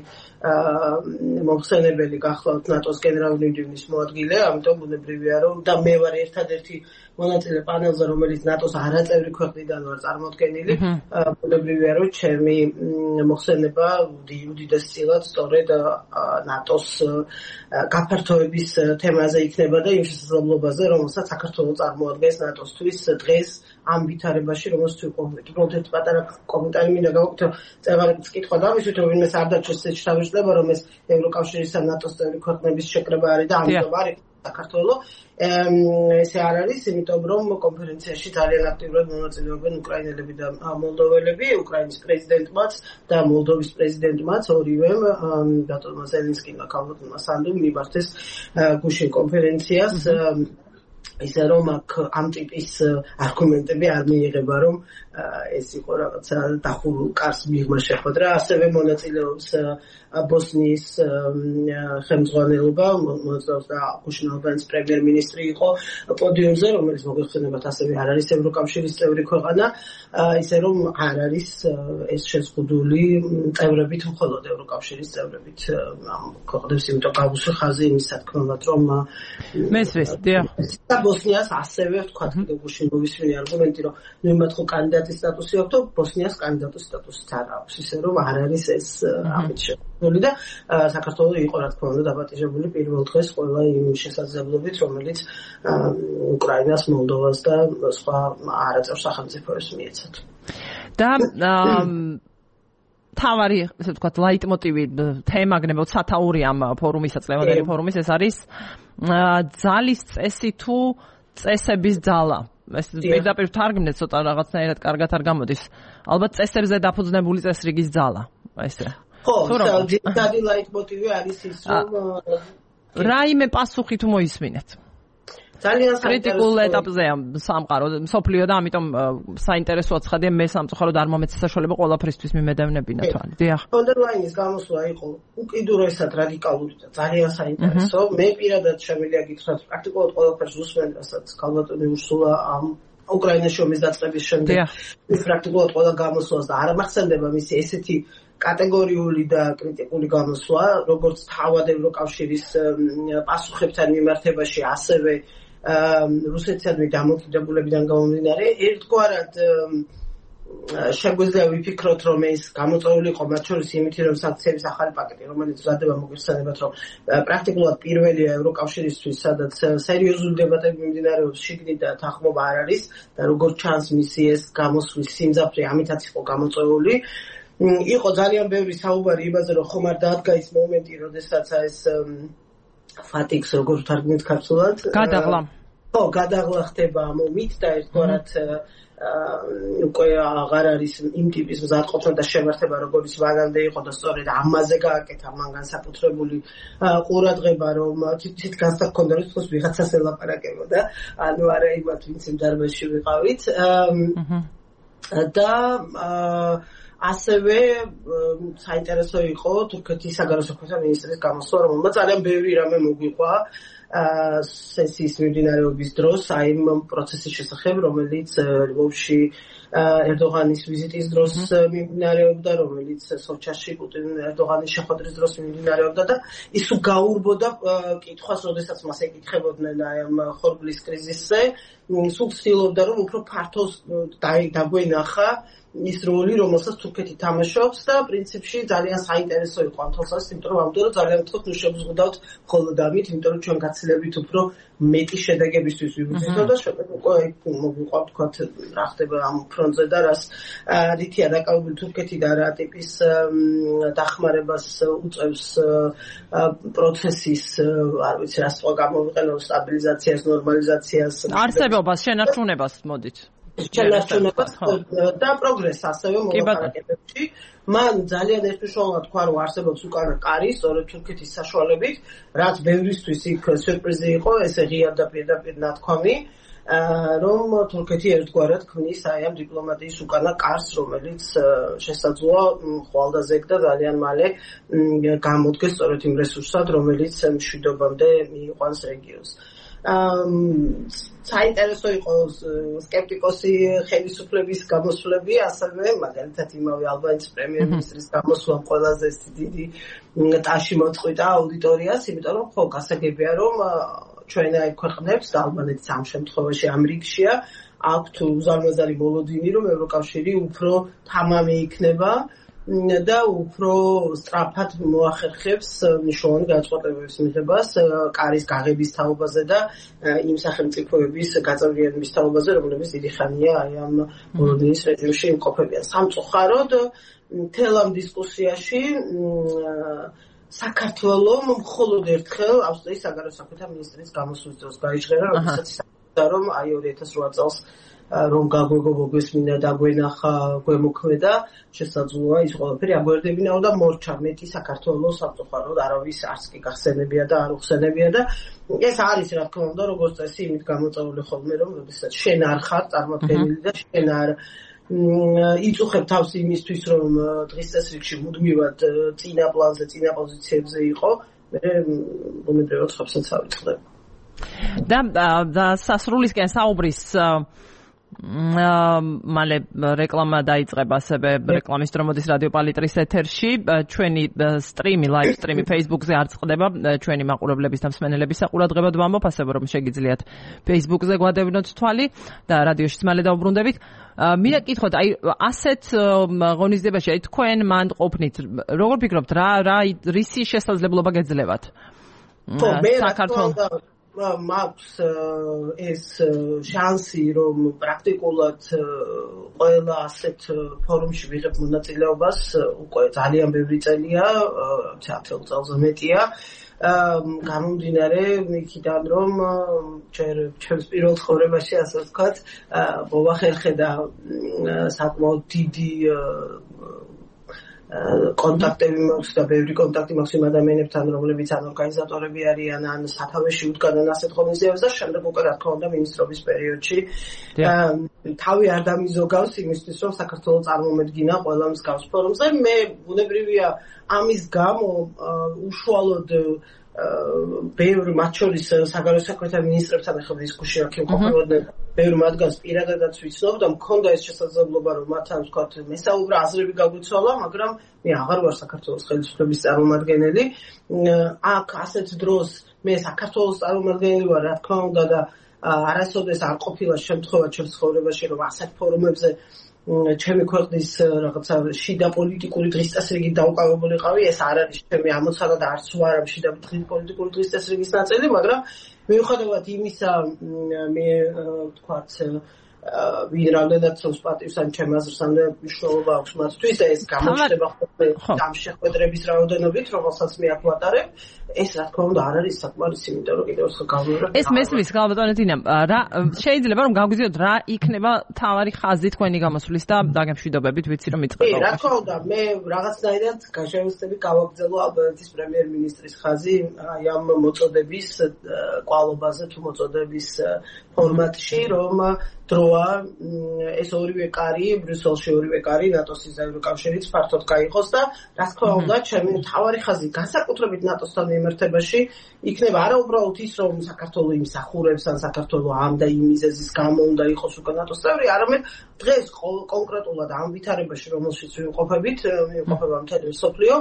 Speaker 2: მომხსენებელი გახლავთ ნატოს გენერალური მდივნის მოადგილე ამიტომ ბუნებრივია რომ და მე ვარ ერთადერთი მონაწილე პანელზე რომელიც ნატოს არაწევრი ქვეყნიდან ვარ წარმოდგენილი ბუნებრივია რომ ჩემი მოხსენება უდიდესწილად სწორედ ნატოს გაფართოების თემაზე იქნება და იმ შესაძლებლობაზე რომელსაც საქართველოს წარმოადგენს ნატოსთვის დღეს ამ ვითარებაში რომელსაც უყურებთ ერთ პატარა კომენტარი მინდა გავაკეთო წეღარიც კითხვა დავისვით რომ ვინმეს არ დაჩვენს ეს თავისუფლება რომ ეს ევროკავშირის და ნატოს წევრი ქვეყნების შეკრება არის და ამიტომ არის საქართველოს ესე არ არის იმიტომ რომ კონფერენციაში ძალიან აქტიურად მონაწილეობენ უკრაინელები და მოლდოველები უკრაინის პრეზიდენტმაც და მოლდოვის პრეზიდენტმაც ორივემ ბატონმა ზელენსკიმ და ქალბატონმა სანდუმ მიმართეს გუშინ კონფერენციას ისე რომ აქ ამ ტიპის არგუმენტები არ მიიღება რომ ეს იყო რაღაცა დახურულ კარს მიღმა შეხვედრა ასევე მონაწილეობს ბოსნიის ხელმძღვანელობა მონაწილეობს და გუშინ ალბანეთის პრემიერ-მინისტრი იყო პოდიუმზე რომელიც მოგეხსენებათ ასევე არ არის ევროკავშირის წევრი ქვეყანა ისე რომ არ არის ეს შეზღუდული წევრებით მხოლოდ ევროკავშირის წევრებით ამ ქვეყნებს იმიტომ გავუსვი ხაზი იმის თქმად რომ
Speaker 1: მესვეს დიახ
Speaker 2: და ბოსნიას ასევე ვთქვათ კიდევ გუშინ მოვისმინე არგუმენტი რომ ნუ მათ ხო კანდიდატის სტატუსი აქვს და ბოსნიას კანდიდატის სტატუსიც არ აქვს ისე რომ არ არის ეს ამით შეფასებული და საქართველოს იყო რა თქმა უნდა დაპატიჟებული პირველ დღეს ყველა იმ შესაძლებლობით რომელიც უკრაინას, მოლდოვას და სხვა არაწევრ სახელმწიფოებს მიეცათ
Speaker 1: და თავარი ესე ვთქვათ ლაიტმოტივი თემა გნებოთ სათაური ამ ფორუმისა წლევანდელი ფორუმის ეს არის ძალის წესი თუ წესების ძალა ეს პირდაპირ თარგმნეთ ცოტა რაღაცნაირად კარგად არ გამოდის ალბათ წესებზე დაფუძნებული წესრიგის ძალა ესე
Speaker 2: ხო ძირითადი ლაიტმოტივი არის ის რომ
Speaker 1: რაიმე პასუხი თუ მოისმინეთ
Speaker 2: ძალიან
Speaker 1: კრიტიკულ ეტაპზეა სამყარო სოფლიო და ამიტომ საინტერესოა ცხადია მე სამწუხაროდ არ მომეც საშუალება ყველაფრისთვის მიმედევნებინა თან დიახ
Speaker 2: ფონ დერ ლაინის გამოსვლა იყო უკიდურესად რადიკალური და ძალიან საინტერესო მე პირადად შემიძლია გითხრათ პრაქტიკულად ყველაფერს უსმენ რასაც ქალბატონი ურსულა ამ უკრაინაში ომის დაწყების შემდეგ ის პრაქტიკულად ყველა გამოსვლას და არ მახსენდება მისი ესეთი კატეგორიული და კრიტიკული გამოსვლა როგორც თავად ევროკავშირის პასუხებთან მიმართებაში ასევე რუსეთსადმი დამოკიდებულებიდან გამომდინარე ერთგვარად შეგვიძლია ვიფიქროთ რომ ეს გამოწვეული იყო მათ შორის იმითი რომ სანქციების ახალი პაკეტი რომელიც მზადდება მოგეხსენებათ რომ პრაქტიკულად პირველია ევროკავშირისთვის სადაც სერიოზული დებატები მიმდინარეობს შიგნით და თანხმობა არ არის და როგორც ჩანს მისი ეს გამოსვლის სიმძაფრე ამითაც იყო გამოწვეული იყო ძალიან ბევრი საუბარი იმაზე რომ ხომ არ დაადგა ის მომენტი როდესაც ეს ფატიქს როგორ თარგმნით ქართულად
Speaker 1: გადაღლა
Speaker 2: ხო გადაღლა ხდება ამ ომით და ერთგვარად უკვე აღარ არის იმ ტიპის მზადყოფნა და შემართება როგორც მანამდე იყო და სწორედ ამაზე გააკეთა მან განსაკუთრებული ყურადღება რომ თვით განსაკუთრდა რომ თქოს ვიღაცას ელაპარაკებოდა ანუ არა იმათ ვინც იმ დარბაზში ვიყავით და ასევე საინტერესო იყო თურქეთის საგარეო საქმეთა მინისტრის გამოსვლა რომელმაც ძალიან ბევრი რამე მოგვიყვა სესიის მიმდინარეობის დროს აი იმ პროცესის შესახებ რომელიც ლვოვში ერდოღანის ვიზიტის დროს მიმდინარეობდა, რომელიც სოჩაში პუტინ ერდოღანის შეხვედრის დროს მიმდინარეობდა და ის გაურბოდა კითხვას, როდესაც მას ეკითხებოდნენ აი ამ ხორბლის კრიზისზე, სულ ცდილობდა რომ უფრო ფართო დაგვენახა ის როლი, რომელსაც თურქეთი თამაშობს და პრინციპში ძალიან საინტერესო იყო ამ თვალსაზრისით, იმიტომ რომ ამიტომ ძალიან ვთქვათ, ნუ შევზღუდავთ მხოლოდ ამით, იმიტომ რომ ჩვენ გაცილებით უფრო მეტი შედეგებისთვის ვიბრძვით და შეგეთ უკვე მოგვიყვართ ვთქვათ რა ხდება ამ ფრონტზე და რას რითია დაკავებული თურქეთი და რა ტიპის დახმარებას უწევს პროცესის, არ ვიცი, რას თქვა გამოვიყენო სტაბილიზაციას, ნორმალიზაციას,
Speaker 1: არსებობას, შენარჩუნებას მოდით.
Speaker 2: შენარჩუნებას და პროგრესს ასევე მოლაპარაკებებში. მან ძალიან ერთუშორულად თქვა, რომ არსებობს უკანა კარი, სწორედ თურქეთის საშუალებით, რაც ბევრისთვის იქ სიურპრიზი იყო, ესე ღია და პირდაპირ ნათქვამი, რომ თურქეთი ერთგვარად ქმნის აი ამ დიპლომატიის უკანა კარს, რომელიც შესაძლოა ხვალდაზეგ და ძალიან მალე გამოდგეს სწორედ იმ რესურსად, რომელიც მშვიდობამდე მიიყვანს რეგიონს. საინტერესო იყო სკეპტიკოსი ხელისუფლების გამოსვლები, ასევე მაგალითად იმავე ალბანეთის პრემიერ-მინისტრის გამოსვლა ყველაზე დიდი ტაში მოწყვიტა აუდიტორიას, იმიტომ რომ ხო გასაგებია რომ ჩვენაირ ქვეყნებს და ალბანეთიც ამ შემთხვევაში ამ რიგშია აქვთ უზარმაზარი მოლოდინი, რომ ევროკავშირი უფრო თამამი იქნება და უფრო სწრაფად მოახერხებს მნიშვნელოვანი განწყობების მიღებას კარის გაღების თაობაზე და იმ სახელმწიფოების გაწევრიანების თაობაზე, რომლებიც დიდი ხანია აი ამ მოლოდინის რეჟიმში იმყოფებიან. სამწუხაროდ მთელ ამ დისკუსიაში საქართველოს მხოლოდ ერთხელ ავსტრიის საგარეო საქმეთა მინისტრის გამოსვლის დროს გაიჟღერა, როდესაც ისაუბრა რომ აი ორი ათას რვა წელს რომ გაგვეგო მოგვესმინა და გვენახა გვემოქმედა, შესაძლოა ის ყველაფერი აგვერდებინაო და მორჩა მეტი საქართველოს სამწუხაროდ არავის არც კი გახსენებია და არ უხსენებია და ეს არის რა თქმა უნდა როგორც წესი იმით გამოწვეული ხოლმე რომ როდესაც შენ არ ხარ წარმოქმნილი და შენ არ იწუხებ თავს იმისთვის რომ დღის წესრიგში მუდმივად წინა პლანზე, წინა პოზიციებზე იყო, მე უმედრევად ხაბსაც ავიწყდება.
Speaker 1: და და სასრულისკენ საუბრის მალე რეკლამა დაიწყება ასევე რეკლამის დრო მოდის რადიო პალიტრის ეთერში. ჩვენი სტრიმი, ლაივ სტრიმი Facebook-ზე არ წყდება, ჩვენი მაყურებლების და მსმენელების საყურადღებოდ ვამბობ, ასევე რომ შეგიძლიათ Facebook-ზე გვადევნოთ თვალი და რადიოშიც მალე დაუბრუნდებით. მინდა გითხოთ, აი ასეთ ღონისძიებაში, აი თქვენ მანდ ყოფნით, როგორ ფიქრობთ, რა რა რისი შესაძლებლობა გეძლევათ? საქართველოს მაქვს ეს შანსი, რომ პრაქტიკულად ყველა ასეთ ფორუმში ვიღებ მონაწილეობას, უკვე ძალიან ბევრი წელია, ათი წელზე მეტია. გამომდინარე იქიდან რომ ჩემს პირველ ცხოვრებაში ასე ვთქვათ, მოვახერხე და საკმაოდ დიდი კონტაქტები მაქვს და ბევრი კონტაქტი მაქვს იმ ადამიანებთან, რომლებიც ან ორგანიზატორები არიან, ან სათავეში უდგანან ასეთ ღონისძიებებს და შემდეგ უკვე რა თქმა უნდა მინისტრობის პერიოდში თავი არ დამიზოგავს იმისთვის, რომ საქართველოს წარმომედგინა ყველა მსგავს ფორუმზე. მე ბუნებრივია ამის გამო უშუალოდ ბევრი მათ შორის საგარეო საქმეთა მინისტრებთან ახლა დისკუსია ქიმყოფებოდნენ, ბევრი მათგანს პირადადაც ვიცნობ და მქონდა ეს შესაძლებლობა რომ მათთან ვთქვათ მესაუბრა აზრები გაგვიცვალა, მაგრამ მე აღარ ვარ საქართველოს ხელისუფლების წარმომადგენელი. აქ ასეთ დროს მე საქართველოს წარმომადგენელი ვარ, რა თქმა უნდა და არასოდეს არ ყოფილა შემთხვევა ჩემს ცხოვრებაში რომ ასეთ ფორუმებზე ჩემი ქვეყნის რაღაცა შიდა პოლიტიკური დღის წესრიგით დაუკავებულიყავი, ეს არ არის ჩემი ამოცანა და არც ვარ ამ შიდა პოლიტიკური დღის წესრიგის ნაწილი, მაგრამ მიუხედავად იმისა, მე ვთქვათ, ვინ რამდენად ცნობს პატივს ან ჩემ აზრს, ამდენად მნიშვნელობა აქვს მათთვის და ეს გამოჩნდება ხოლმე ამ შეხვედრების რაოდენობით, რომელსაც მე აქ ვატარებ. ეს რა თქმა უნდა არ არის საკმარისი, იმიტომ რომ კიდევ ერთხელ გავიმეორებ. ეს მესმის გალბატონე დინა, რა შეიძლება რომ გაგვიზიოთ რა იქნება თავარი ხაზი თქვენი გამოსვლის და დაგემშვიდობებით, ვიცი რომ იწყება.
Speaker 2: რა თქმა უნდა, მე რაღაცნაირად გაშევსები გავაგრძელო ალბანეთის პრემიერ-მინისტრის ხაზი აი ამ მოწოდების კვალობაზე თუ მოწოდების ფორმატში, რომ დრო სურვილია ეს ორივე კარი, ბრიუსელში ორივე კარი, ნატოსის და ევროკავშირის ფართოდ გაიყოს და რა თქმა უნდა, ჩემი მთავარი ხაზი განსაკუთრებით ნატოსთან მიმართებაში იქნება არა უბრალოდ ის, რომ საქართველოს იმსახურებს ან საქართველოს ამ და იმ მიზეზის გამო უნდა იყოს უკვე ნატოს წევრი, არამედ დღეს კონკრეტულად ამ ვითარებაში, რომელშიც ვიმყოფებით, ვიმყოფება მთელი მსოფლიო,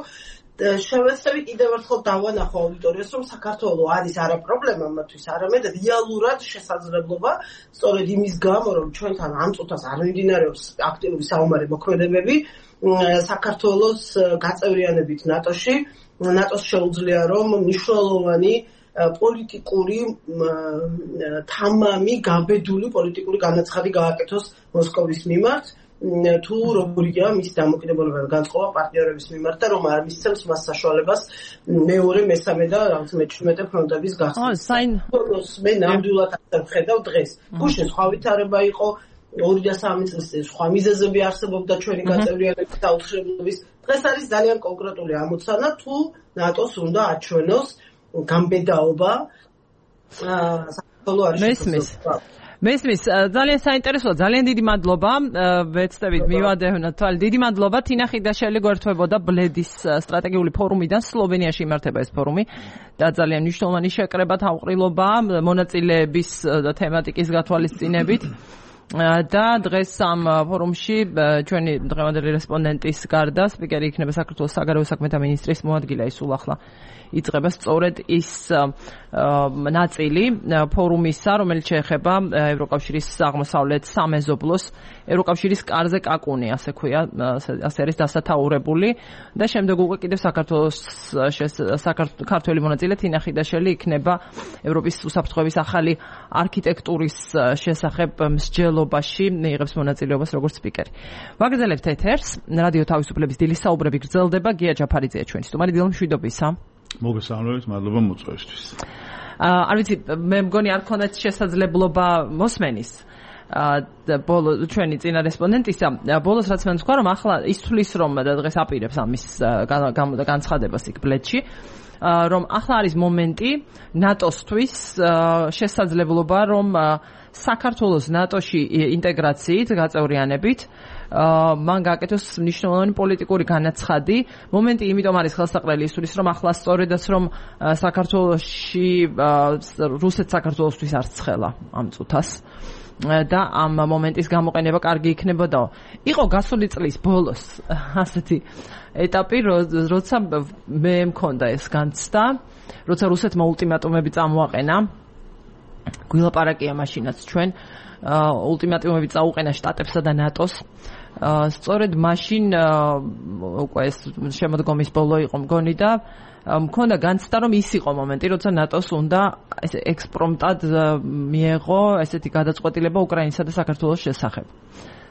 Speaker 2: შევეცდები კიდევ ერთხელ დავანახო აუდიტორიას, რომ საქართველოს არის არა პრობლემა მათთვის, არამედ რეალურად შესაძლებლობა, სწორედ იმის გამო, რომ ჩვენთან ამ წუთას არ მიმდინარეობს აქტიური საომარი მოქმედებები, საქართველოს გაწევრიანებით ნატოში, ნატოს შეუძლია, რომ მნიშვნელოვანი პოლიტიკური თამამი, გაბედული პოლიტიკური განაცხადი გააკეთოს მოსკოვის მიმართ. თუ როგორია მის დამოკიდებულება განწყობა პარტნიორების მიმართ და რომ არ მისცემს მას საშუალებას მეორე, მესამე და რაღაც მეჩვიდმეტე ფრონტების გახსნა.
Speaker 1: ო, საინ
Speaker 2: მე ნამდვილად არ ვხედავ დღეს. გუშინ სხვა ვითარება იყო, ორი და სამი წლის წინ სხვა მიზეზები არსებობდა ჩვენი გაწევრიანების და უთხრობლების. დღეს არის ძალიან კონკრეტული ამოცანა, თუ ნატოს უნდა აჩვენოს გამბედაობა საქართველოს არის
Speaker 1: მესმის მესმის ძალიან საინტერესოა, ძალიან დიდი მადლობა. ვეცდებით მივადევნოთ თვალ. დიდი მადლობა. თინა ხიდაშელი გვერდთვებოდა ბლედის სტრატეგიული ფორუმიდან. სლოვენიაში იმართება ეს ფორუმი და ძალიან მნიშვნელოვანი შეკრება თავყრილობა მონაწილეების თემატიკის გათვალისწინებით. და დღეს ამ ფორუმში ჩვენი დღევანდელი რესპონდენტის გარდა სპიკერი იქნება საქართველოს საგარეო საქმეთა მინისტრის მოადგილე ისულ ახლა იწყება სწორედ ის ნაწილი ფორუმისა, რომელიც შეეხება ევროკავშირის აღმოსავლეთ სამეზობლოს, ევროკავშირის კარზე კაკუნი, ასე ქვია, ასე არის დასათაურებული და შემდეგ უკვე კიდევ საქართველოს საქართველოს მონაწილე თინა ხიდაშელი იქნება ევროპის უსაფრთხოების ახალი არქიტექტურის შესახებ მსჯელობაში მიიღებს მონაწილეობას როგორც სპიკერი. ვაგრძელებთ ეთერს, რადიო თავისუფლების დილის საუბრები გრძელდება, გია ჯაფარიძეა ჩვენი სტუმარი. დილო მშვიდობისა.
Speaker 3: მოგესალმებით, მადლობა მოწვევისთვის.
Speaker 1: არ ვიცი, მე მგონი არ ქონდათ შესაძლებლობა მოსმენის ბოლო ჩვენი წინა რესპონდენტისა, ბოლოს რაც მან თქვა, რომ ახლა ის თulis რომ დღეს აპირებს ამის განცხადებას იქ ბლედში, რომ ახლა არის მომენტი ნატოსთვის შესაძლებლობა, რომ საქართველოს ნატოში ინტეგრაციით, გაწევრიანებით მან გააკეთოს მნიშვნელოვანი პოლიტიკური განაცხადი. მომენტი იმიტომ არის ხელსაყრელი ისურის, რომ ახლა სწორედაც რომ საქართველოში რუსეთს საქართველოსთვის არ ცხელა ამ წუთას და ამ მომენტის გამოყენება კარგი იქნებოდა. იყო გასული წლის ბოლოს ასეთი ეტაპი, როცა მე მქონდა ეს განცდა, როცა რუსეთმა ულტიმატუმები წამოაყენა. გვილაპარაკია მაშინაც ჩვენ ულტიმატუმები წაუყენა შტატებსა და ნატოს. სწორედ მაშინ უკვე ეს შემოდგომის ბოლო იყო მგონი და მქონდა განცდა, რომ ის იყო მომენტი, როცა ნატოს უნდა ექსპრომტად მიეღო ესეთი გადაწყვეტილება უკრაინისა და საქართველოს შესახებ.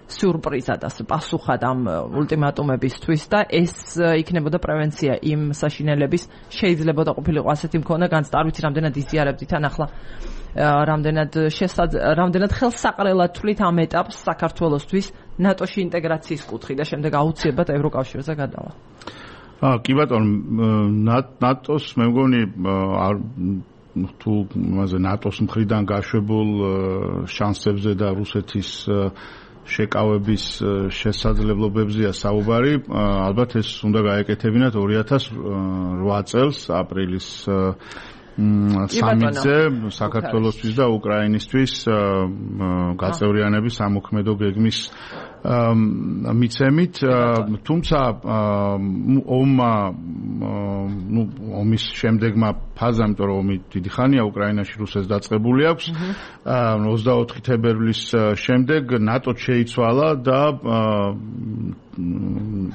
Speaker 1: სიურპრიზად, ასე პასუხად ამ ულტიმატუმებისთვის და ეს იქნებოდა პრევენცია იმ საშინელების შეიძლება ყოფილიყო ასეთი მქონდა განცდა. არ ვიცი, რამდენად იზიარებთ თან ახლა რამდენად რამდენად ხელსაყრელად თვლით ამ ეტაპს საქართველოსთვის ნატოში ინტეგრაციის კუთხით და შემდეგ აუცილებლად ევროკავშირზე გადავა.
Speaker 3: აა კი ბატონო, ნატოს მე მგონი თუ მასე ნატოს მხრიდან გაშვებულ შანსებზე და რუსეთის შეკავების შესაძლებლობებზეა საუბარი. ალბათ ეს უნდა გაეკეთებინათ ორი ათას ოთხ წელს აპრილის სამზე საქართველოსთვის და უკრაინისთვის გაწევრიანების სამოქმედო გეგმის მიცემით, თუმცა ომმა ნუ ომის შემდეგმა ფაზამ, იმიტომ რომ ომი დიდი ხანია უკრაინაში რუსეთს დაწყებული აქვს, ოცდაოთხი თებერვლის შემდეგ ნატო შეიცვალა და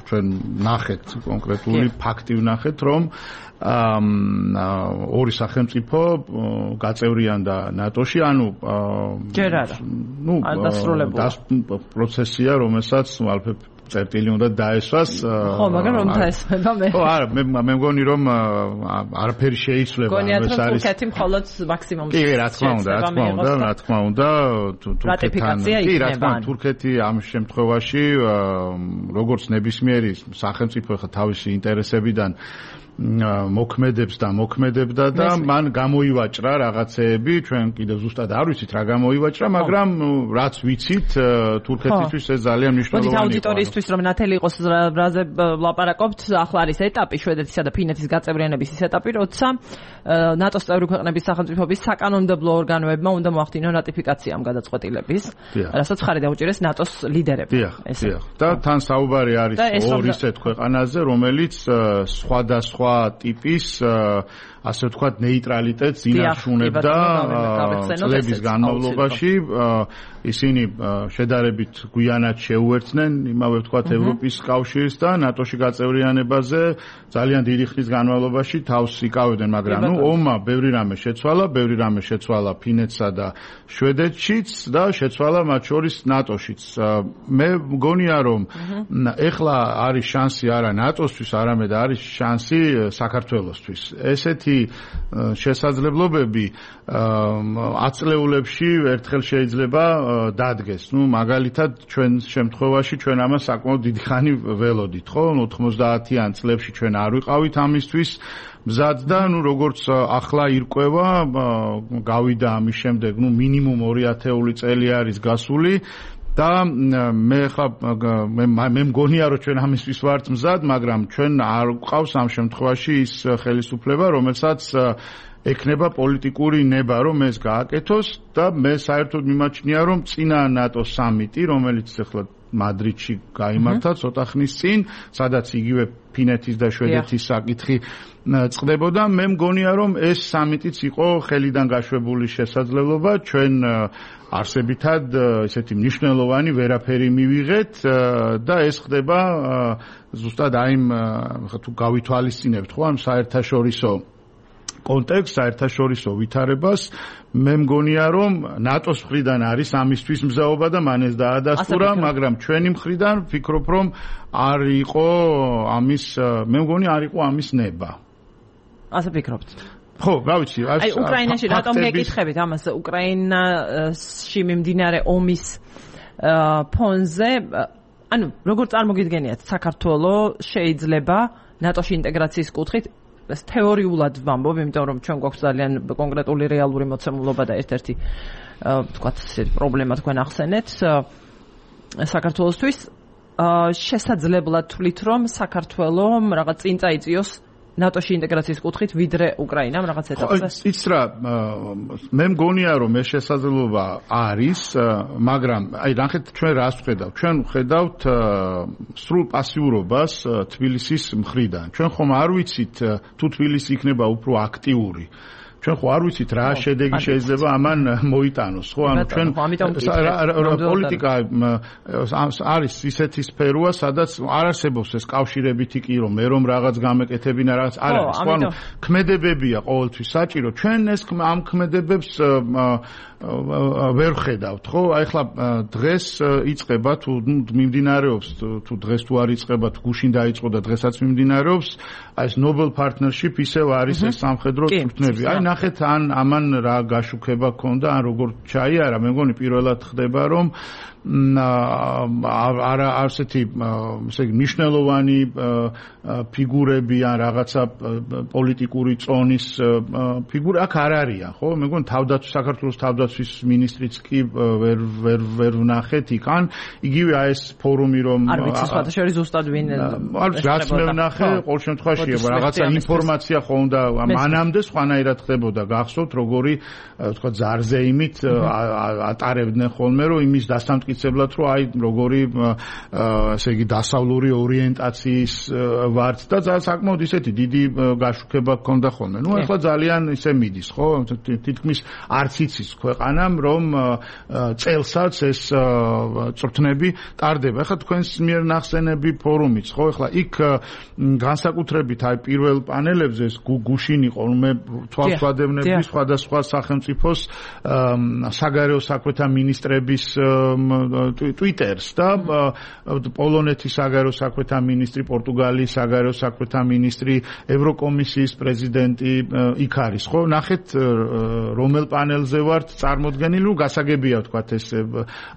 Speaker 3: ჩვენ ნახეთ კონკრეტული ფაქტი ვნახეთ, რომ ორი სახელმწიფო გაწევრიანდა ნატოში, ანუ
Speaker 1: ჯერ არა.
Speaker 3: ნუ პროცესია, რომელსაც ალფა წერტილი უნდა დაესვას.
Speaker 1: ხო, მაგრამ რომ დაესვება მე.
Speaker 3: ხო, არა, მე მე მგონი რომ არაფერი შეიცვლება,
Speaker 1: ეს არის თურქეთი მხოლოდ მაქსიმუმს.
Speaker 3: კი, რა თქმა უნდა, რა თქმა უნდა, რა თქმა უნდა, თურქეთთან. კი, რა თქმა უნდა, თურქეთი ამ შემთხვევაში როგორც ნებისმიერი სახელმწიფო ხა თავისი ინტერესებიდან მოქმედებს და მოქმედებდა და მან გამოივაჭრა რაღაცეები, ჩვენ კიდევ ზუსტად არ ვიცით რა გამოივაჭრა, მაგრამ რაც ვიცით, თურქეთისთვის ეს ძალიან მნიშვნელოვანია.
Speaker 1: მოდით აუდიტორიისთვის რომ ნათელი იყოს რაზე ვლაპარაკობთ, ახლა არის ეტაპი შვედეთისა და ფინეთის გაწევრიანების ის ეტაპი, როცა ნატოს წევრი ქვეყნების სახელმწიფოების საკანონმდებლო ორგანოებმა უნდა მოახდინონ რატიფიკაცია ამ გადაწყვეტილების, რასაც ხარი დაუჭირეს ნატოს ლიდერებმა.
Speaker 3: დიახ, დიახ. და თან საუბარი არის ორ ისეთ ქვეყანაზე, რომელიც სხვადასხვა ტიპის ასე ვთქვათ ნეიტრალიტეტს ინარჩუნებდა წლების განმავლობაში. ისინი შედარებით გვიანად შეუერთდნენ იმავე ვთქვათ ევროპის კავშირს და ნატოში გაწევრიანებაზე ძალიან დიდი ხნის განმავლობაში თავს იკავებდნენ, მაგრამ ნუ ომმა ბევრი რამე შეცვალა, ბევრი რამე შეცვალა ფინეთსა და შვედეთშიც და შეცვალა მათ შორის ნატოშიც. მე მგონია რომ ეხლა არის შანსი არა ნატოსთვის, არამედ არის შანსი საქართველოსთვის. ესეთი შესაძლებლობები ათწლეულებში ერთხელ შეიძლება დადგეს. ნუ მაგალითად ჩვენ შემთხვევაში ჩვენ ამას საკმაოდ დიდი ხანი ველოდით, ხო? ოთხმოცდაათიან წლებში ჩვენ არ ვიყავით ამისთვის მზად და ნუ როგორც ახლა ირკვევა, გავიდა ამის შემდეგ, ნუ მინიმუმ ორი ათეული წელი არის გასული. და მე ხა მე მგონია რომ ჩვენ ამისთვის ვართ მზად, მაგრამ ჩვენ არ გვყავს ამ შემთხვევაში ის ხელისუფლება, რომელსაც ექნება პოლიტიკური ნება, რომ ეს გააკეთოს და მე საერთოდ მიმაჩნია, რომ წინა ნატოს სამიტი, რომელიც ახლა მადრიდში გაიმართა ცოტა ხნის წინ, სადაც იგივე ფინეთის და შვედეთის საკითხი წყდებოდა, მე მგონია, რომ ეს სამიტიც იყო ხელიდან გაშვებული შესაძლებლობა, ჩვენ არსებითად ესეთი მნიშვნელოვანი ვერაფერი მივიღეთ და ეს ხდება ზუსტად აი თუ გავითვალისწინებთ ხო ამ საერთაშორისო კონტექსტს, საერთაშორისო ვითარებას, მე მგონია რომ ნატოს მხრიდან არის ამისთვის მზაობა და მან ეს დაადასტურა, მაგრამ ჩვენი მხრიდან ვფიქრობ რომ არ იყო ამის, მე მგონი არ იყო ამის ნება.
Speaker 1: ასე ფიქრობთ?
Speaker 3: ხო, რა ვიცი,
Speaker 1: აი უკრაინაში რატომ გეკითხებით ამას? უკრაინაში მიმდინარე ომის ფონზე, ანუ როგორ წარმოგიდგენიათ საქართველოს შეიძლება ნატოში ინტეგრაციის კუთხით ეს თეორიულად ვამბობ, იმიტომ რომ ჩვენ გვაქვს ძალიან კონკრეტული რეალური მოცემულობა და ერთ-ერთი ვთქვათ ესეთი პრობლემა თქვენ ახსენეთ საქართველოსთვის. შესაძლებლად თვლით რომ საქართველოს რაღაც წინ წაიწიოს ნატოში ინტეგრაციის კუთხით ვიდრე უკრაინამ რაღაც ეტაპზე?
Speaker 3: იცით რა, მე მგონია რომ ეს შესაძლებლობა არის, მაგრამ აი ნახეთ ჩვენ რას ვხედავთ? ჩვენ ვხედავთ სრულ პასიურობას თბილისის მხრიდან. ჩვენ ხომ არ ვიცით თუ თბილისი იქნება უფრო აქტიური. ჩვენ ხო არ ვიცით რა შედეგი შეიძლება ამან მოიტანოს, ხო? ანუ ჩვენ პოლიტიკა არის ისეთი სფეროა, სადაც არ არსებობს ეს კავშირებითი კი რომ მე რომ რაღაც გამეკეთებინა რაღაც არ არის, ხო? ანუ ქმედებებია ყოველთვის საჭირო. ჩვენ ეს ამ ქმედებებს ვერ ხედავთ, ხო? აი ხლა დღეს იწყება თუ მიმდინარეობს თუ დღეს თუ არ იწყება, თუ გუშინ დაიწყო და დღესაც მიმდინარეობს, აი ეს Nobel Partnership ისევ არის ეს სამხედრო წვრთნები. აი ნახეთ ან ამან რა გაშუქება ქონდა, ან როგორ ჩაიარა, მე მგონი პირველად ხდება რომ არა ასეთი ესე იგი მნიშვნელოვანი ფიგურები ან რაღაცა პოლიტიკური წონის ფიგურა აქ არ არიან, ხო? მე მგონი თავდაცვის საქართველოს თავდაცვის მინისტრიც კი ვერ ვერ ვერ ვნახეთ იქ, ან იგივე აი ეს ფორუმი რომ
Speaker 1: არ ვიცი სხვადასხვა ზუსტად ვინ
Speaker 3: არ ვიცი რაც მე ვნახე, ყოველ შემთხვევაში რაღაცა ინფორმაცია ხო უნდა მანამდე სხვანაირად ხდებოდა, გახსოვთ როგორი თქვა ზარზეიმით ატარებდნენ ხოლმე რომ იმის დასამტკიცებლად რომ აი როგორი ესე იგი დასავლური ორიენტაციის ვართ და საკმაოდ ისეთი დიდი გაშუქება ჰქონდა ხოლმე. ნუ ახლა ძალიან ისე მიდის, ხო? თითქმის არც იცის ქვეყანამ რომ წელსაც ეს წვრთნები ტარდება. ახლა თქვენს მიერ ნახსენები ფორუმიც, ხო? ახლა იქ განსაკუთრებით აი პირველ პანელებზე ეს გუშინ იყო, მე თვალს ვადევნებდი სხვადასხვა სახელმწიფოს საგარეო საქმეთა მინისტრების Twitter-ს და პოლონეთის საგარეო საქმეთა მინისტრი, პორტუგალიის საგარეო საქმეთა მინისტრი, ევროკომისიის პრეზიდენტი იქ არის, ხო? ნახეთ რომელ პანელზე ვართ წარმოდგენილი, რომ გასაგებია ვთქვათ ეს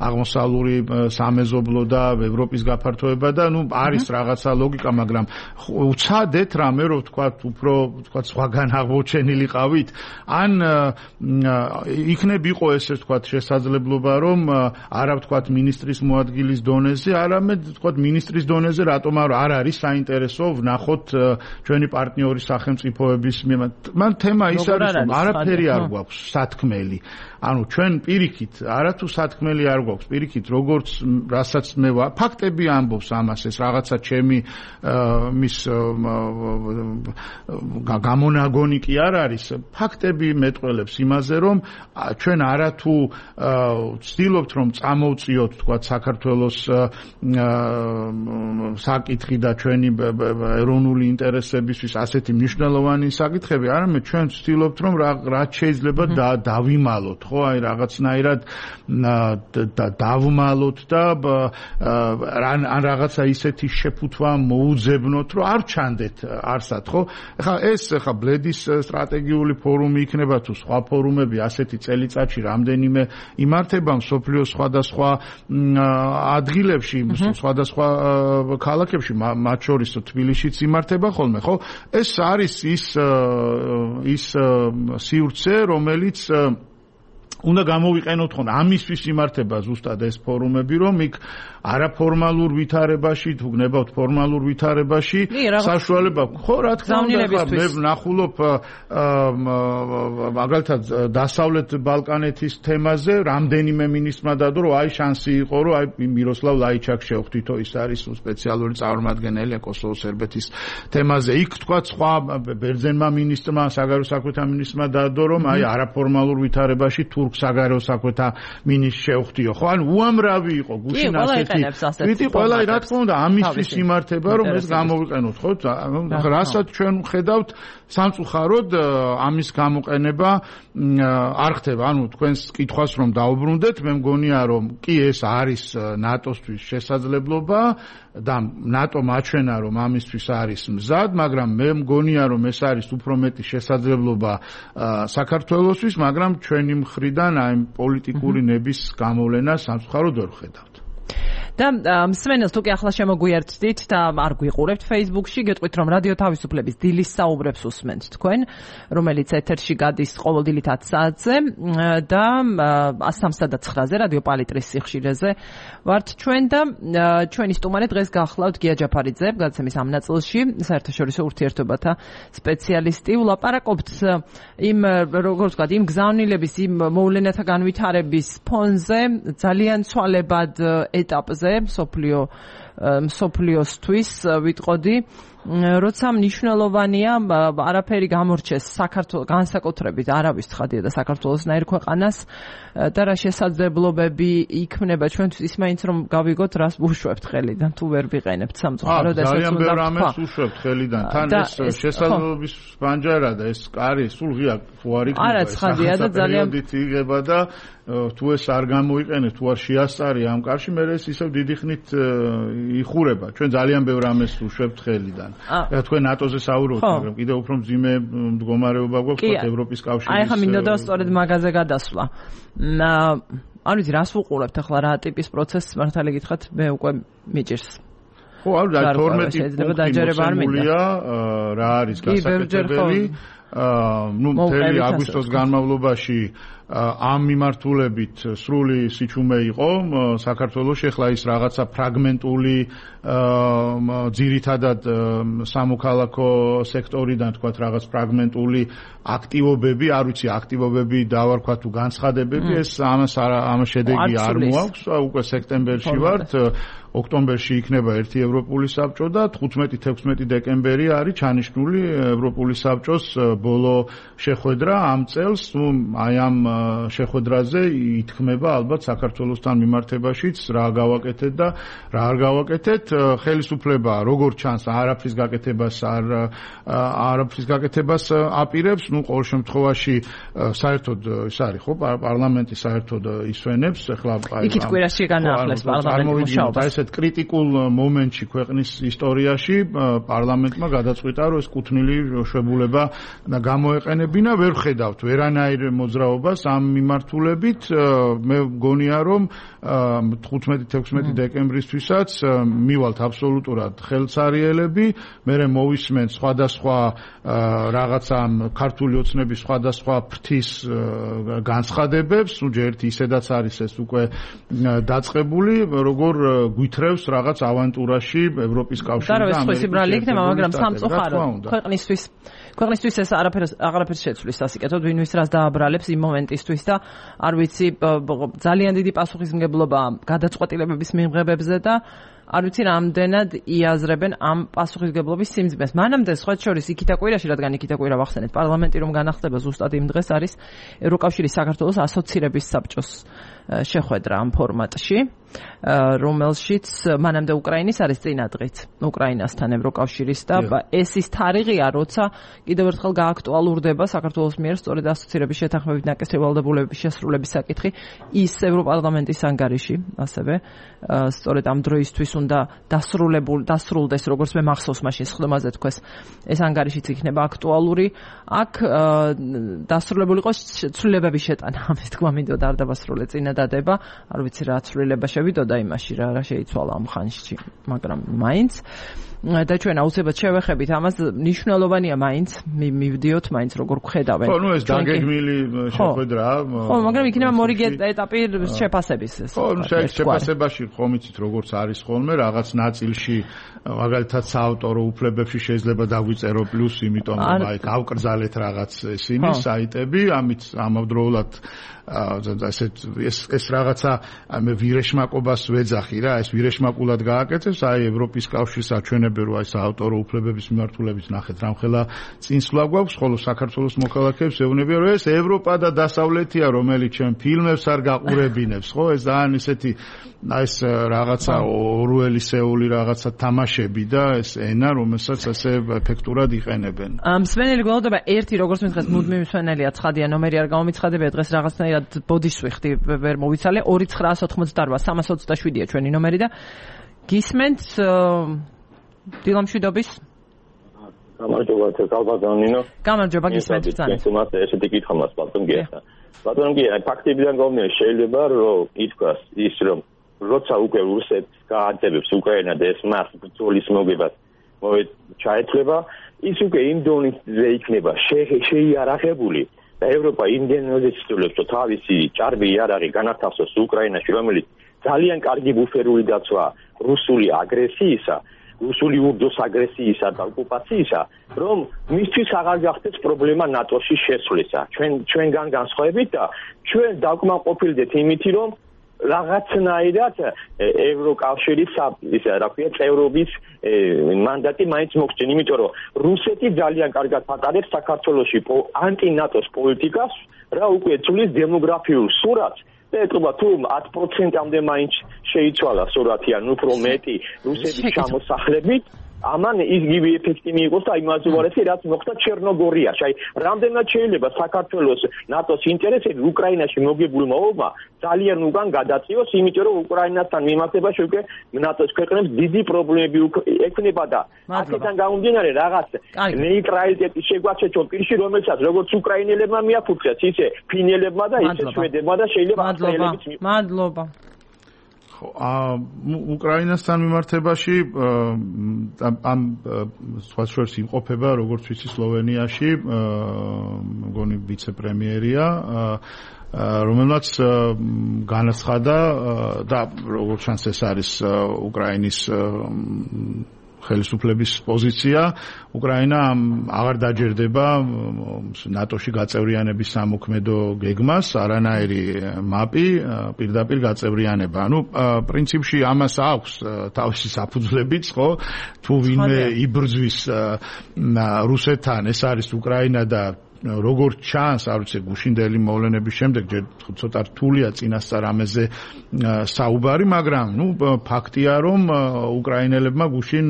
Speaker 3: აღმოსავლური სამეზობლო და ევროპის გაფართოება და ნუ არის რაღაცა ლოგიკა, მაგრამ უცადეთ რამე რომ ვთქვათ უფრო ვთქვათ სხვაგან აღმოჩენილიყავით, ან იქნებ იყო ესე ვთქვათ შესაძლებლობა რომ არა ვთქვათ მინისტრის მოადგილის დონეზე, არამედ ვთქვათ მინისტრის დონეზე რატომ არ არის საინტერესო ვნახოთ ჩვენი პარტნიორი სახელმწიფოების მიმართ. მან თემა ის არის რომ არაფერი არ გვაქვს სათქმელი. ანუ ჩვენ პირიქით არათუ სათქმელი არ გვაქვს, პირიქით როგორც რასაც მე ფაქტები ამბობს ამას, ეს რაღაცა ჩემი მის გამონაგონი კი არ არის, ფაქტები მეტყველებს იმაზე რომ ჩვენ არათუ ვცდილობთ რომ წამოვწიოთ თქვა საქართველოს საკითხი და ჩვენი ეროვნული ინტერესებისთვის ასეთი მნიშვნელოვანი საკითხები, არამედ ჩვენ ვცდილობთ რომ რაც შეიძლება დავიმალოთ, ხო, აი რაღაცნაირად დავმალოთ და ან რაღაცა ისეთი შეფუთვა მოუძებნოთ, რომ არ ჩანდეთ არსად, ხო? ეხლა ეს ეხლა ბლედის სტრატეგიული ფორუმი იქნება თუ სხვა ფორუმები ასეთი წელიწადში რამდენიმე იმართება მსოფლიოს სხვადასხვა ადგილებში, სხვადასხვა ქალაქებში, მათ შორის თბილისშიც იმართება ხოლმე, ხო? ეს არის ის ის სივრცე, რომელიც უნდა გამოვიყენოთ ხოლმე ამისთვის იმართება ზუსტად ეს ფორუმები, რომ იქ არაფორმალურ ვითარებაში, თუ გნებავთ ფორმალურ ვითარებაში საშუალება, ხო, რა თქმა უნდა, მე ვნახულობ მაგალითად დასავლეთ ბალკანეთის თემაზე რამდენიმე მინისტრმა დადო, რომ აი შანსი იყო, რომ აი მიროსლავ ლაიჩაკ შევხვდითო, ის არის სპეციალური წარმომადგენელი კოსოვოს სერბეთის თემაზე. იქ თქვა სხვა ბერძენმა მინისტრმა, საგარეო საქმეთა მინისტრმა დადო, რომ აი არაფორმალურ ვითარებაში თურქ საგარეო საქმეთა მინისტრს შევხვდიო, ხო? ანუ უამრავი იყო გუშინ ასეთი ვიტი ყველა რა თქმა უნდა ამისთვის იმართება რომ ეს გამოვიყენოთ, ხო? რასაც ჩვენ ვხედავთ სამწუხაროდ ამის გამოყენება არ ხდება. ანუ თქვენს კითხვას რომ დაუბრუნდეთ, მე მგონია რომ კი ეს არის ნატოსთვის შესაძლებლობა და ნატო მაჩვენა რომ ამისთვის არის მზად, მაგრამ მე მგონია რომ ეს არის უფრო მეტი შესაძლებლობა საქართველოსთვის, მაგრამ ჩვენი მხრიდან აი პოლიტიკური ნების გამოვლენა სამწუხაროდ ვერ ვხედავთ.
Speaker 1: და მსმენელს თუ კი ახლა შემოგვიერთდით და არ გვიყურებთ Facebook-ში, გეტყვით რომ რადიო თავისუფლების დილის საუბრებს უსმენთ თქვენ, რომელიც ეთერში გადის ყოველდღიურად ათს საათზე და სამსა და ცხრაზე რადიო პალიტრის სიხშირეზე ვართ ჩვენ და ჩვენი სტუმარი დღეს გახლავთ გია ჯაფარიძე, გადაცემის ამ ნაწილში, საერთაშორისო ურთიერთობათა სპეციალისტი. ვლაპარაკობთ იმ როგორც ვთქვათ, იმ გზავნილების, იმ მოვლენათა განვითარების ფონზე ძალიან ცვალებად ეტაპზე მსოფლიო მსოფლიოსთვის ვიტყოდი, როცა მნიშვნელოვანია არაფერი გამორჩეს საქართველოს განსაკუთრებით არავის ცხადია და საქართველოსნაირ ქვეყანას და რა შესაძლებლობები იქმნება ჩვენთვის, ის მაინც რომ გავიგოთ რას ვუშვებთ ხელიდან თუ ვერ ვიყენებთ სამწუხაროდ
Speaker 3: ესეც უნდა ძალიან ბევრ ამას ვუშვებთ ხელიდან, თან ეს შესაძლებლობის ბანჯარა და ეს კარი სულ ღია თუ არ იქნება,
Speaker 1: არა ცხადია და ძალიან
Speaker 3: იღება და თუ ეს არ გამოიყენეთ, თუ არ შეასწარი ამ კარში, მე ეს ისევ დიდი ხნით იხურება. ჩვენ ძალიან ბევრ ამას ვუშვებთ ხელიდან. თქვენ ნატოზე საუბრობთ, მაგრამ კიდევ უფრო მძიმე მდგომარეობა გვაქვს ევროპის კავშირის.
Speaker 1: აი ხა მინდოდა სწორედ მაგაზე გადასვლა. არ ვიცი რას ვუყურებთ ახლა, რა ტიპის პროცესს მართალი გითხრათ, მე უკვე მიჭირს.
Speaker 3: ხო, არა, თორმეტი პუნქტია, რა არის გასაკეთებელი. ნუ მთელი აგვისტოს განმავლობაში ამ მიმართულებით სრული სიჩუმე იყო საქართველოში, ახლა ის რაღაცა ფრაგმენტული ძირითადად სამოქალაქო სექტორიდან თქვათ რაღაც ფრაგმენტული აქტივობები, არ ვიცი აქტივობები დავარქვა თუ განცხადებები, ეს ამას ამას შედეგი არ მოაქვს, უკვე სექტემბერში ვართ, ოქტომბერში იქნება ერთი ევროპული საბჭო და თხუთმეტი თექვსმეტი დეკემბერი არის ჩანიშნული ევროპული საბჭოს ბოლო შეხვედრა ამ წელს, ну, აი ამ შეხვედრაზე ითქმება ალბათ საქართველოსთან მიმართებაშიც რა გავაკეთეთ და რა არ გავაკეთეთ. ხელისუფლება როგორ ჩანს არაფრის გაკეთებას არ არაფრის გაკეთებას აპირებს, ну, ყოველ შემთხვევაში საერთოდ ის არის ხო, პარლამენტი საერთოდ ისვენებს, ეხლა აი
Speaker 1: იქით კვირაში განაახლეს პარლამენტი მუშაობას.
Speaker 3: აი ესეთ კრიტიკულ მომენტში ქვეყნის ისტორიაში პარლამენტმა გადაწყვიტა, რომ ეს კუთვნილი შვებულება გამოეყენებინა, ვერ ხედავთ ვერანაირ მოძრაობას ამ მიმართულებით. მე მგონია, რომ თხუთმეტი-თექვსმეტი დეკემბრისთვისაც მივალთ აბსოლუტურად ხელცარიელები, მერე მოვისმენთ სხვადასხვა რაღაცა ქართული ოცნების სხვადასხვა ფრთის განცხადებებს, ну ჯერ ისედაც არის ეს უკვე დაწყებული, როგორ გვითრევს რაღაც ავანტურაში ევროპის კავშირი და ამერიკის
Speaker 1: შეხვედრა, მაგრამ სამწუხარო ქვეყნისთვის ქვეყნისთვის ეს არაფერს აღარაფერს შეცვლის სასიკეთოდ, ვინვის რას დააბრალებს იმ მომენტისთვის და არ ვიცი ძალიან დიდი პასუხისმგებლობა გადაწყვეტილებების მიღებებზე და არ ვიცი რამდენად იაზრებენ ამ პასუხისმგებლობის სიმძიმეს. მანამდე სხვა შორის იქითა კვირაში, რადგან იქითა კვირა ვახსენეთ, პარლამენტი რომ განახდება ზუსტად იმ დღეს არის ევროკავშირის საქართველოს ასოცირების საბჭოს შეხვედრა ამ ფორმატში, რომელშიც მანამდე უკრაინის არის წინა დღით, უკრაინასთან ევროკავშირის და ეს ის თარიღია, როცა კიდევ ერთხელ გააქტუალურდება საქართველოს მიერ სწორედ ასოცირების შეთანხმებით ნაკისრი ვალდებულებების შესრულების საკითხი ის ევროპარლამენტის ანგარიში, ასევე სწორედ ამ დროისთვის უნდა დასრულებულ დასრულდეს, როგორც მე მახსოვს მაშინ სხდომაზე თქვეს, ეს ანგარიშიც იქნება აქტუალური. აქ დასრულებული იყოს ცვლილებების შეტანა, ამის თქმა მინდოდა არ დავასრულე წინა დადება, არ ვიცი რა ცვლილება შევიდოდა იმაში, რა რა შეიცვალა ამ ხანში, მაგრამ მაინც და ჩვენ აუცილებლად შევეხებით ამას, მნიშვნელოვანია მაინც, მივდიოთ მაინც როგორ გხედავენ.
Speaker 3: ხო, ну ეს დაგეგმილი შეხვედრა.
Speaker 1: ხო, მაგრამ იქნება მორიგი ეტაპი შეფასების.
Speaker 3: ხო, შეფასებაში ხომ იცით როგორც არის ხოლმე, რაღაც ნაწილში მაგალითად საავტორო უფლებებში შეიძლება დაგვიწერო პლუს, იმიტომ რომ აი გავკრძალეთ რაღაც ისინი საიტები, ამით ამავდროულად ასეთ ეს ეს რაღაცა მე ვირეშმაკობას ვეძახი რა, ეს ვირეშმაკულად გააკეთებს, აი ევროპის კავშირის აჩვენებენ, რომ აი საავტორო უფლებების მიმართულებით ნახეთ, რამხელა წინსვლა გვაქვს, ხოლო საქართველოს მოქალაქეებს ეუბნებიან, რომ ეს ევროპა და დასავლეთია, რომელიც ჩვენ ფილმებს არ გაყურებინებს, ხო? ეს ძალიან ისეთი აი ეს რაღაცა ორველისეული რაღაცა თამაშები და ეს ენა, რომელსაც ასე ეფექტურად იყენებენ.
Speaker 1: მსმენელი გველოდება ერთი, როგორც მითხეს, მუდმივი მსმენელია, ცხადია, ნომერი არ გამომიცხადებია, დღეს რაღაცნაირად ბოდიშს ვიხდი, ვერ მოვიცალე, ორი ცხრაას ოცდაოთხმოცდაოთხ სამას ოცდაშვიდია ჩვენი ნომერი და გისმენთ დილამშვიდობის.
Speaker 4: გამარჯობა, თალბაზონინო.
Speaker 1: გამარჯობა, გისმენთ ძალიან.
Speaker 4: თუმცა ესეთი კითხვა მას ბატონ გიახსნა. ბატონო გია, ფაქტებიდან გამომდინარე შეიძლება რომ ითქვას ის რომ როცა უკვე რუსეთს გააძევებს უკრაინა და ეს მას ბრძოლის მოგებას ჩაეთვლება, ის უკვე იმ დონეზე იქნება შეიარაღებული და ევროპა იმდენად ცდილობს რომ თავისი ჭარბი იარაღი განათავსოს უკრაინაში, რომელიც ძალიან კარგი ბუფერული დაცვა რუსული აგრესიისა, რუსული ურდოს აგრესიისა და ოკუპაციისა, რომ მისთვის აღარ გახდეს პრობლემა ნატოში შესვლისა. ჩვენ ჩვენგან განსხვავებით და ჩვენ დაკმაყოფილდეთ იმითი, რომ რაღაცნაირად ევროკავშირის ისე რა ქვია წევრობის მანდატი მაინც მოგწინ, იმიტომ რომ რუსეთი ძალიან კარგად ატარებს საქართველოში ანტი-ნატოს პოლიტიკას, რა უკვე ცulis დემოგრაფიულ სურათს და ეტყობა თუ ათ პროცენტამდე მაინც შეიცვალა სურათი, ან უფრო მეტი რუსების ჩამოსახლებით, ამან იგივე ეფექტი მიიღოს და იმას უარესი რაც მოხდა ჩერნოგორიაში. აი, რამდენად შეიძლება საქართველოს ნატოს ინტერესები უკრაინაში მოგებულმა ომმა ძალიან უკან გადაწიოს, იმიტომ რომ უკრაინასთან მიმართებაში უკვე ნატოს ქვეყნებს დიდი პრობლემები ექნება და აქედან გამომდინარე რაღაც ნეიტრალიტეტის შეგვაჩეჩო პირში, რომელსაც როგორც უკრაინელებმა მიაფუძეს, ისე ფინელებმა და ისე შვედებმა და შეიძლება ავსტრიელებიც.
Speaker 1: მადლობა.
Speaker 3: უკრაინასთან მიმართებაში ამ სხვა შორის იმყოფება, როგორც ვიცი, სლოვენიაში მგონი ვიცე-პრემიერია, რომელმაც განაცხადა და როგორც ჩანს ეს არის უკრაინის ხელისუფლების პოზიცია, უკრაინა აღარ დაჯერდება ნატოში გაწევრიანების სამოქმედო გეგმას, არანაირი მაპი, პირდაპირ გაწევრიანება. ანუ პრინციპში ამას აქვს თავისი საფუძვლებიც, ხო? თუ ვინმე იბრძვის რუსეთთან, ეს არის უკრაინა და როგორც ჩანს, არ ვიცი, გუშინდელი მოვლენების შემდეგ ჯერ ცოტა რთულია წინასწარ ამაზე საუბარი, მაგრამ ნუ ფაქტია, რომ უკრაინელებმა გუშინ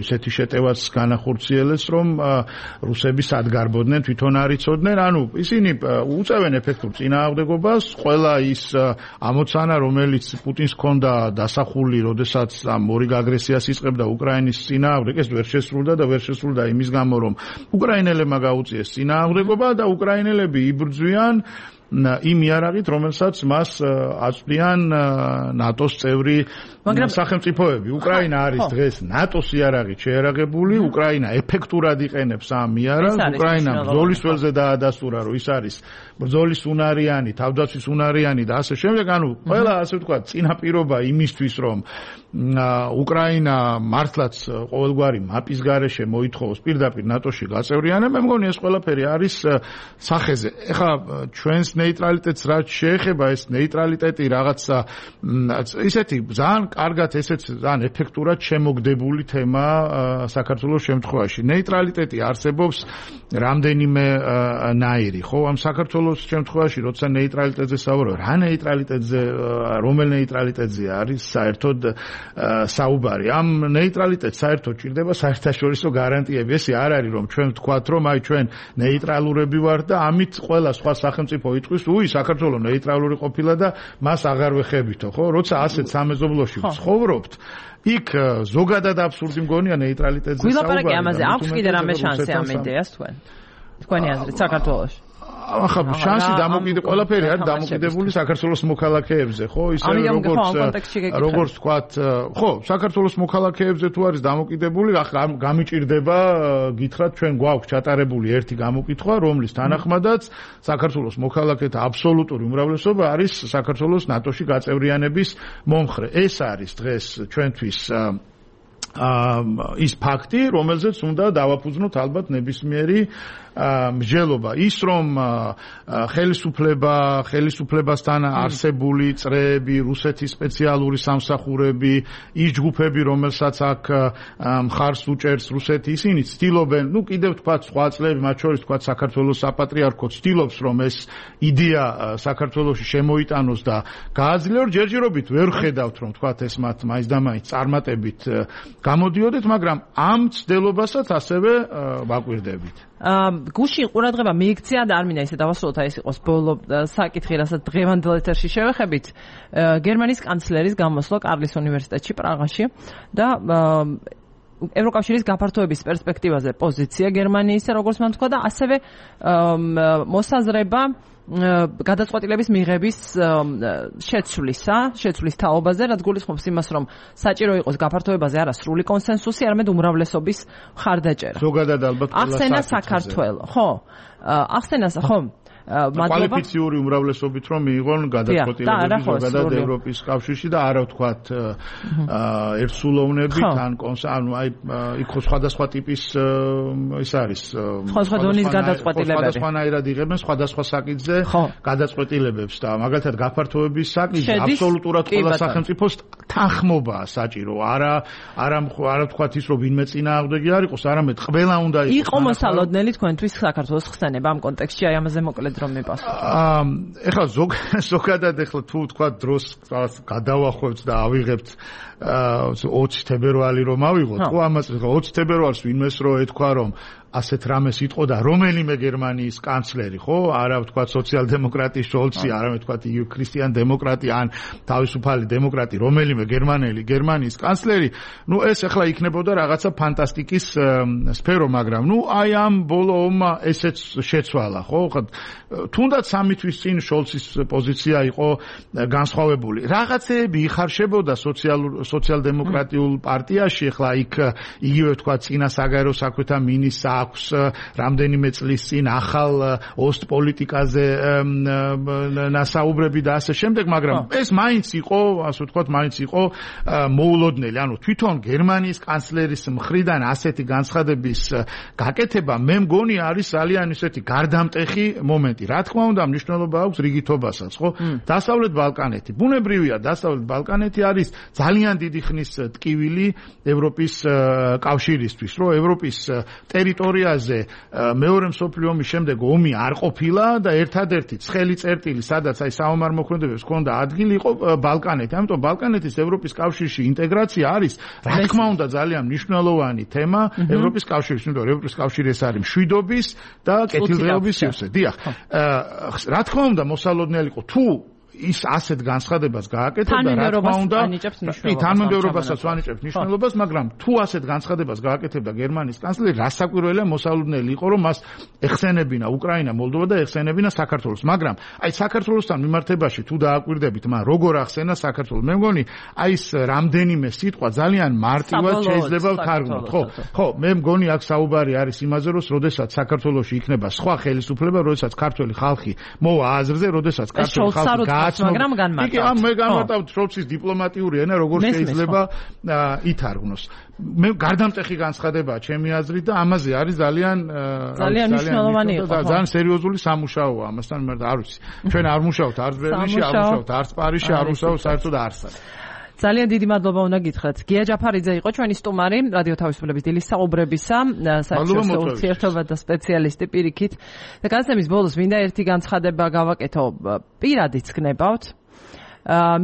Speaker 3: ისეთი შეტევაც განახორციელეს, რომ რუსები სად გარბოდნენ, თვითონ არ იცოდნენ, ანუ ისინი უწევენ ეფექტურ წინააღმდეგობას, ყველა ის ამოცანა, რომელიც პუტინს ჰქონდა დასახული, როდესაც ამ ორი აგრესიას იწყებდა უკრაინის წინააღმდეგ, ეს ვერ შესრულდა და ვერ შესრულდა იმის გამო, რომ უკრაინელებმა გაუწიეს წინააღმდეგობა და უკრაინელები იბრძვიან იმ იარაღით, რომელსაც მას აწვდიან ნატოს წევრი სახელმწიფოები. უკრაინა არის დღეს ნატოს იარაღით შეერაღებული, უკრაინა ეფექტურად იყენებს ამ იარაღს, უკრაინა ბრძოლის ველზე დაადასტურა, რომ ის არის ბრძოლის უნარიანი, თავდაცვის უნარიანი და ასე შემდეგ, ანუ ყველა ასე ვთქვათ, წინაპირობა იმისთვის, რომ უკრაინა მართლაც ყოველგვარი მაპის გარეშე მოითხოვოს პირდაპირ ნატოში გაწევრიანება, მე მგონი ეს ყველაფერი არის სახეზე. ეხლა ჩვენს ნეიტრალიტეტს რაც შეეხება, ეს ნეიტრალიტეტი რაღაცა ისეთი ძალიან კარგად ესეც ძალიან ეფექტურად შემოგდებული თემა საქართველოს შემთხვევაში. ნეიტრალიტეტი არსებობს რამდენიმე ნაირი, ხო? ამ საქართველოს შემთხვევაში, როცა ნეიტრალიტეტზე საუბრობ, რა ნეიტრალიტეტზე, რომელ ნეიტრალიტეტზე არის საერთოდ საუბარი. ამ ნეიტრალიტეტს საერთოდ ჭირდება საერთაშორისო გარანტიები. ესე არ არის, რომ ჩვენ ვთქვათ, რომ აი ჩვენ ნეიტრალურები ვართ და ამით ყველა სხვა სახელმწიფო იტყვის, უი, საქართველოს ნეიტრალური ყოფილა და მას აღარ ვეხებითო, ხო? როცა ასეთ სამეზობლოში ვცხოვრობთ, იქ ზოგადად აბსურდი მგონია ნეიტრალიტეტზე საუბარი.
Speaker 1: გვილაპარაკი ამაზე, აქვს კიდე რამე შანსი ამ იდეას თქვენ? თქვენი აზრით საქართველოში?
Speaker 3: ახლა შანსი დამოკიდებული ყველაფერი არის დამოკიდებული საქართველოს მოქალაქეებზე, ხო? ისე როგორც როგორც ვთქვათ, ხო, საქართველოს მოქალაქეებზე თუ არის დამოკიდებული, ახლა გამიჭირდება გითხრათ, ჩვენ გვაქვს ჩატარებული ერთი გამოკითხვა, რომლის თანახმადაც საქართველოს მოქალაქეთა აბსოლუტური უმრავლესობა არის საქართველოს ნატოში გაწევრიანების მომხრე. ეს არის დღეს ჩვენთვის ის ფაქტი, რომელზეც უნდა დავაფუძნოთ ალბათ ნებისმიერი მსჯელობა. ის რომ ხელისუფლება, ხელისუფლებასთან არსებული წრეები, რუსეთის სპეციალური სამსახურები, ის ჯგუფები, რომელსაც აქ მხარს უჭერს რუსეთი, ისინი ცდილობენ, ну კიდევ თქვა სხვა წლები, მათ შორის თქვა საქართველოს საპატრიარქო ცდილობს, რომ ეს იდეა საქართველოში შემოიტანოს და გააძლიეროს. ჯერჯერობით ვერ ხედავთ, რომ თქვა ეს მათ მაინც და მაინც წარმატებით გამოდიოდეთ, მაგრამ ამ ცდილობასაც ასევე ვაკვირდებით.
Speaker 1: გუშინ ყურადღება მიიქცია და არ მინდა ისე დავასრულოთ, ეს იყოს ბოლო საკითხი, რასაც დღევანდელ ეთერში შევეხებით, გერმანიის კანცლერის გამოსვლა კარლის უნივერსიტეტში პრაღაში და ევროკავშირის გაფართოების პერსპექტივაზე პოზიცია გერმანიის, როგორც მან თქვა და ასევე მოსაზრება გადაწყვეტილების მიღების შეცვლისა, შეცვლის თაობაზე, რაც გულისხმობს იმას, რომ საჭირო იყოს გაფართოებაზე არა სრული კონსენსუსი, არამედ უმრავლესობის მხარდაჭერა.
Speaker 3: ზოგადად ალბათ
Speaker 1: ახსენა საქართველოს, ხო? ახსენა, ხო?
Speaker 3: კვალიფიციური უმრავლესობით რომ მიიღონ გადაწყვეტილებები ზოგადად ევროპის კავშირში და არა ვთქვათ ერთსულოვნებით ან ანუ აი იქ სხვადასხვა ტიპის ის არის
Speaker 1: სხვადასხვა დონის გადაწყვეტილებები
Speaker 3: სხვადასხვანაირად იღებენ სხვადასხვა საკითხზე გადაწყვეტილებებს და მაგალითად გაფართოების საკითხი აბსოლუტურად ყველა სახელმწიფოს თანხმობაა საჭირო არა არა არა ვთქვათ ის რომ ვინმე წინააღმდეგი არ იყოს არამედ ყველა უნდა იყოს
Speaker 1: იყო მოსალოდნელი თქვენთვის საქართველოს ხსენება ამ კონტექსტში აი ამაზე მოკლედ რომ მიპასუხოთ.
Speaker 3: აა ეხლა ზოგადად ეხლა თუ თქვა დროს გადავახვევთ და ავიღებთ ოცი თებერვალი რომ ავიღოთ, ხო ამას ოცი თებერვალს ვინმეს რო ეთქვა რომ ასეთ რამეს იტყო და რომელიმე გერმანიის კანცლერი, ხო? არა ვთქვათ სოციალ-დემოკრატი შოლცი, არამედ ვთქვათ ქრისტიან-დემოკრატი ან თავისუფალი დემოკრატი, რომელიმე გერმანელი გერმანიის კანცლერი, ნუ ეს ახლა იქნებოდა რაღაცა ფანტასტიკის სფერო, მაგრამ ნუ აი ამ ბოლო ომმა ესეც შეცვალა, ხო? თუნდაც სამი თვის წინ შოლცის პოზიცია იყო განსხვავებული. რაღაცეები იხარშებოდა სოციალურ სოციალ-დემოკრატიულ პარტიაში, ახლა იქ იგივე ვთქვათ წინა საგარეო საქმეთა მინისტრ აქვს რამდენიმე წლის წინ ახალ ოსტპოლიტიკაზე ნასაუბრები და ასე შემდეგ, მაგრამ ეს მაინც იყო, ასე ვთქვათ, მაინც იყო მოულოდნელი. ანუ თვითონ გერმანიის კანცლერის მხრიდან ასეთი განცხადების გაკეთება მე მგონი არის ძალიან ისეთი გარდამტეხი მომენტი. რა თქმა უნდა, მნიშვნელობა აქვს რიგითობასაც, ხო? დასავლეთ ბალკანეთი. ბუნებრივია, დასავლეთ ბალკანეთი არის ძალიან დიდი ხნის ტკივილი ევროპის კავშირისთვის, რომ ევროპის ტერიტორიაზე მეორე მსოფლიო ომის შემდეგ ომი არ ყოფილა და ერთადერთი ცხელი წერტილი, სადაც აი საომარ მოქმედებებს ჰქონდა ადგილი, იყო ბალკანეთი. ამიტომ ბალკანეთის ევროპის კავშირში ინტეგრაცია არის, რა თქმა უნდა, ძალიან მნიშვნელოვანი თემა ევროპის კავშირში, იმიტომ რომ ევროპის კავშირი ეს არის მშვიდობის და კეთილდღეობის სივრცე. დიახ. რა თქმა უნდა, მოსალოდნელი იყო თუ ის ასეთ განცხადებას გააკეთებდა, რა თქმა უნდა, კი, თანმიმდევრობასაც ვანიჭებთ მნიშვნელობას, მაგრამ თუ ასეთ განცხადებას გააკეთებდა გერმანიის კანცლერი, რასაკვირველია მოსალოდნელი იყო, რომ მას ეხსენებინა უკრაინა, მოლდოვა და ეხსენებინა საქართველოს. მაგრამ აი საქართველოსთან მიმართებაში თუ დააკვირდებით, მან როგორ ახსენა საქართველოს, მე მგონი, აი ეს რამდენიმე სიტყვა ძალიან მარტივად შეიძლება ვთარგმნოთ, ხო? ხო, მე მგონი აქ საუბარი არის იმაზე, რომ როდესაც საქართველოში იქნება სხვა ხელისუფლება, როდესაც ქართველი ხალხი მოვა აზრზე, როდესაც ქართველი ხალხი
Speaker 1: მაგრამ განმარტავთ.
Speaker 3: კი, ამ მე განმარტავთ შროცის დიპლომატიური ენა, როგორ შეიძლება ითარგმნოს. მე გარდამტეხი განცხადებაა ჩემი აზრით და ამაზე არის ძალიან
Speaker 1: ძალიან მნიშვნელოვანი იყო.
Speaker 3: ძალიან სერიოზული სამუშაოა ამასთან მიმართ, არ ვიცი. ჩვენ არ მუშაობთ არც ბერლინში, არ მუშაობთ არც პარიზში, არ მუშაობთ საერთოდ არცად.
Speaker 1: ძალიან დიდი მადლობა უნდა გითხრათ. გია ჯაფარიძე იყო ჩვენი სტუმარი რადიო თავისუფლების დილის საუბრებისა, საერთაშორისო ურთიერთობა და სპეციალისტი პირიქით. და განსაცემის ბოლოს მინდა ერთი განცხადება გავაკეთო. პირადიც გნებავთ.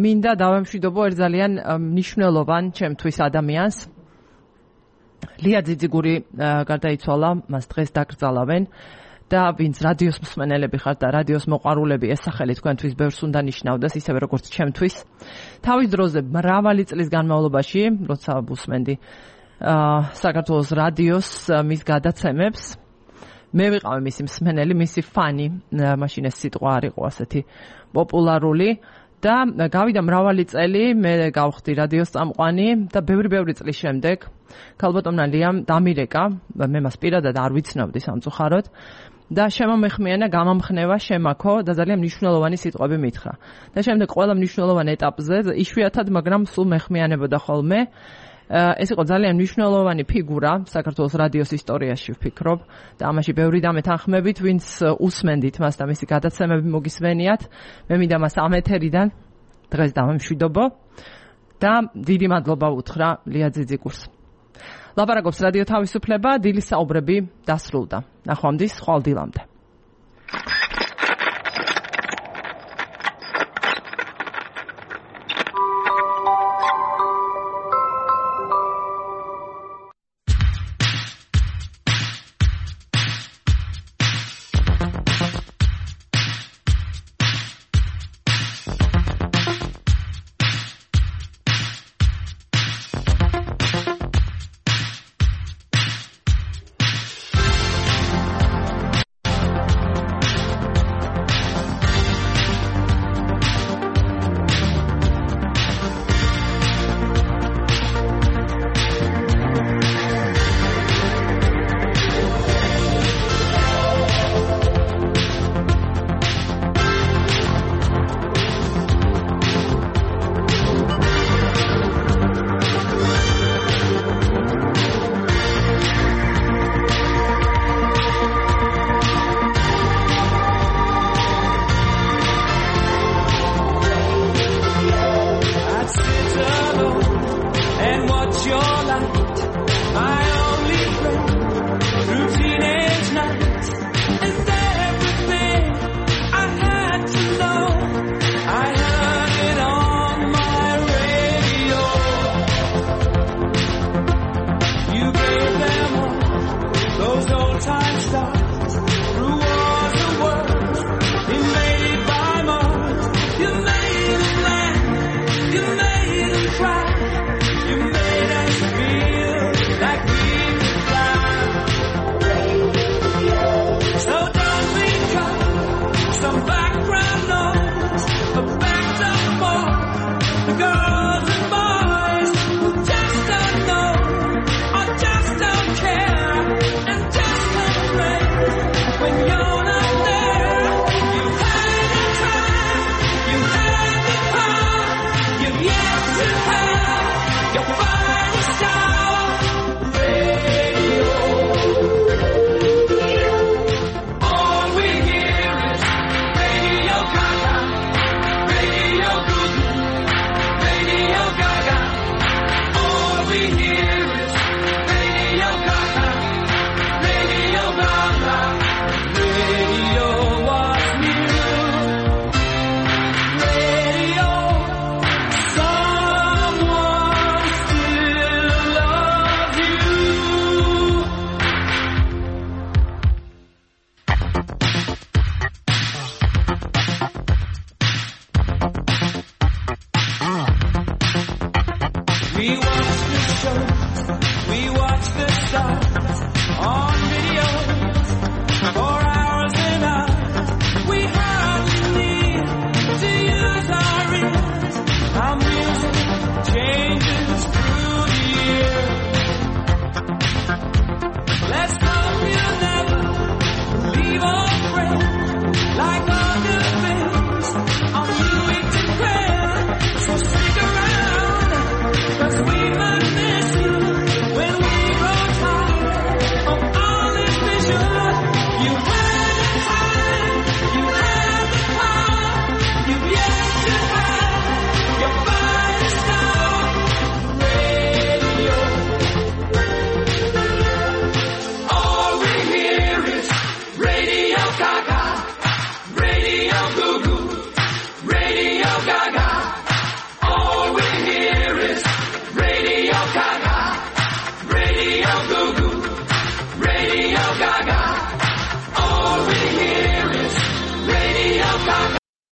Speaker 1: მინდა დავემშვიდობო ერთ ძალიან მნიშვნელოვან ჩემთვის ადამიანს. ლია ძიძიგური გარდაიცვალა, მას დღეს დაკრძალავენ. და ვინც რადიოს მსმენელები ხართ და რადიოს მოყვარულები, ეს სახელი თქვენთვის ბევრს უნდა ნიშნავდეს, ისევე როგორც ჩემთვის. თავის დროზე მრავალი წლის განმავლობაში, როცა ვუსმენდი საქართველოს რადიოს მის გადაცემებს, მე ვიყავი მისი მსმენელი, მისი ფანი, მაშინ ეს სიტყვა არ იყო ასეთი პოპულარული. და გავიდა მრავალი წელი, მე გავხდი რადიოს წამყვანი და ბევრი-ბევრი წლის შემდეგ ქალბატონმა ლიამ დამირეკა, მე მას პირადად არ ვიცნობდი სამწუხაროდ. და შემომეხმიანა, გამამხნევა, შემაქო და ძალიან მნიშვნელოვანი სიტყვები მითხრა. და შემდეგ ყველა მნიშვნელოვან ეტაპზე, იშვიათად, მაგრამ სულ მეხმიანებოდა ხოლმე. ეს იყო ძალიან მნიშვნელოვანი ფიგურა საქართველოს რადიოს ისტორიაში, ვფიქრობ, და ამაში ბევრი დამეთანხმებით, ვინც უსმენდით მას და მისი გადაცემები მოგისმენიათ. მე მინდა მას ამ ეთერიდან დღეს დავემშვიდობო და დიდი მადლობა უთხრა ლია ძიძიგურს. ლაპარაკობს რადიო თავისუფლება, დილის საუბრები დასრულდა. ნახვამდის, ხვალ დილამდე.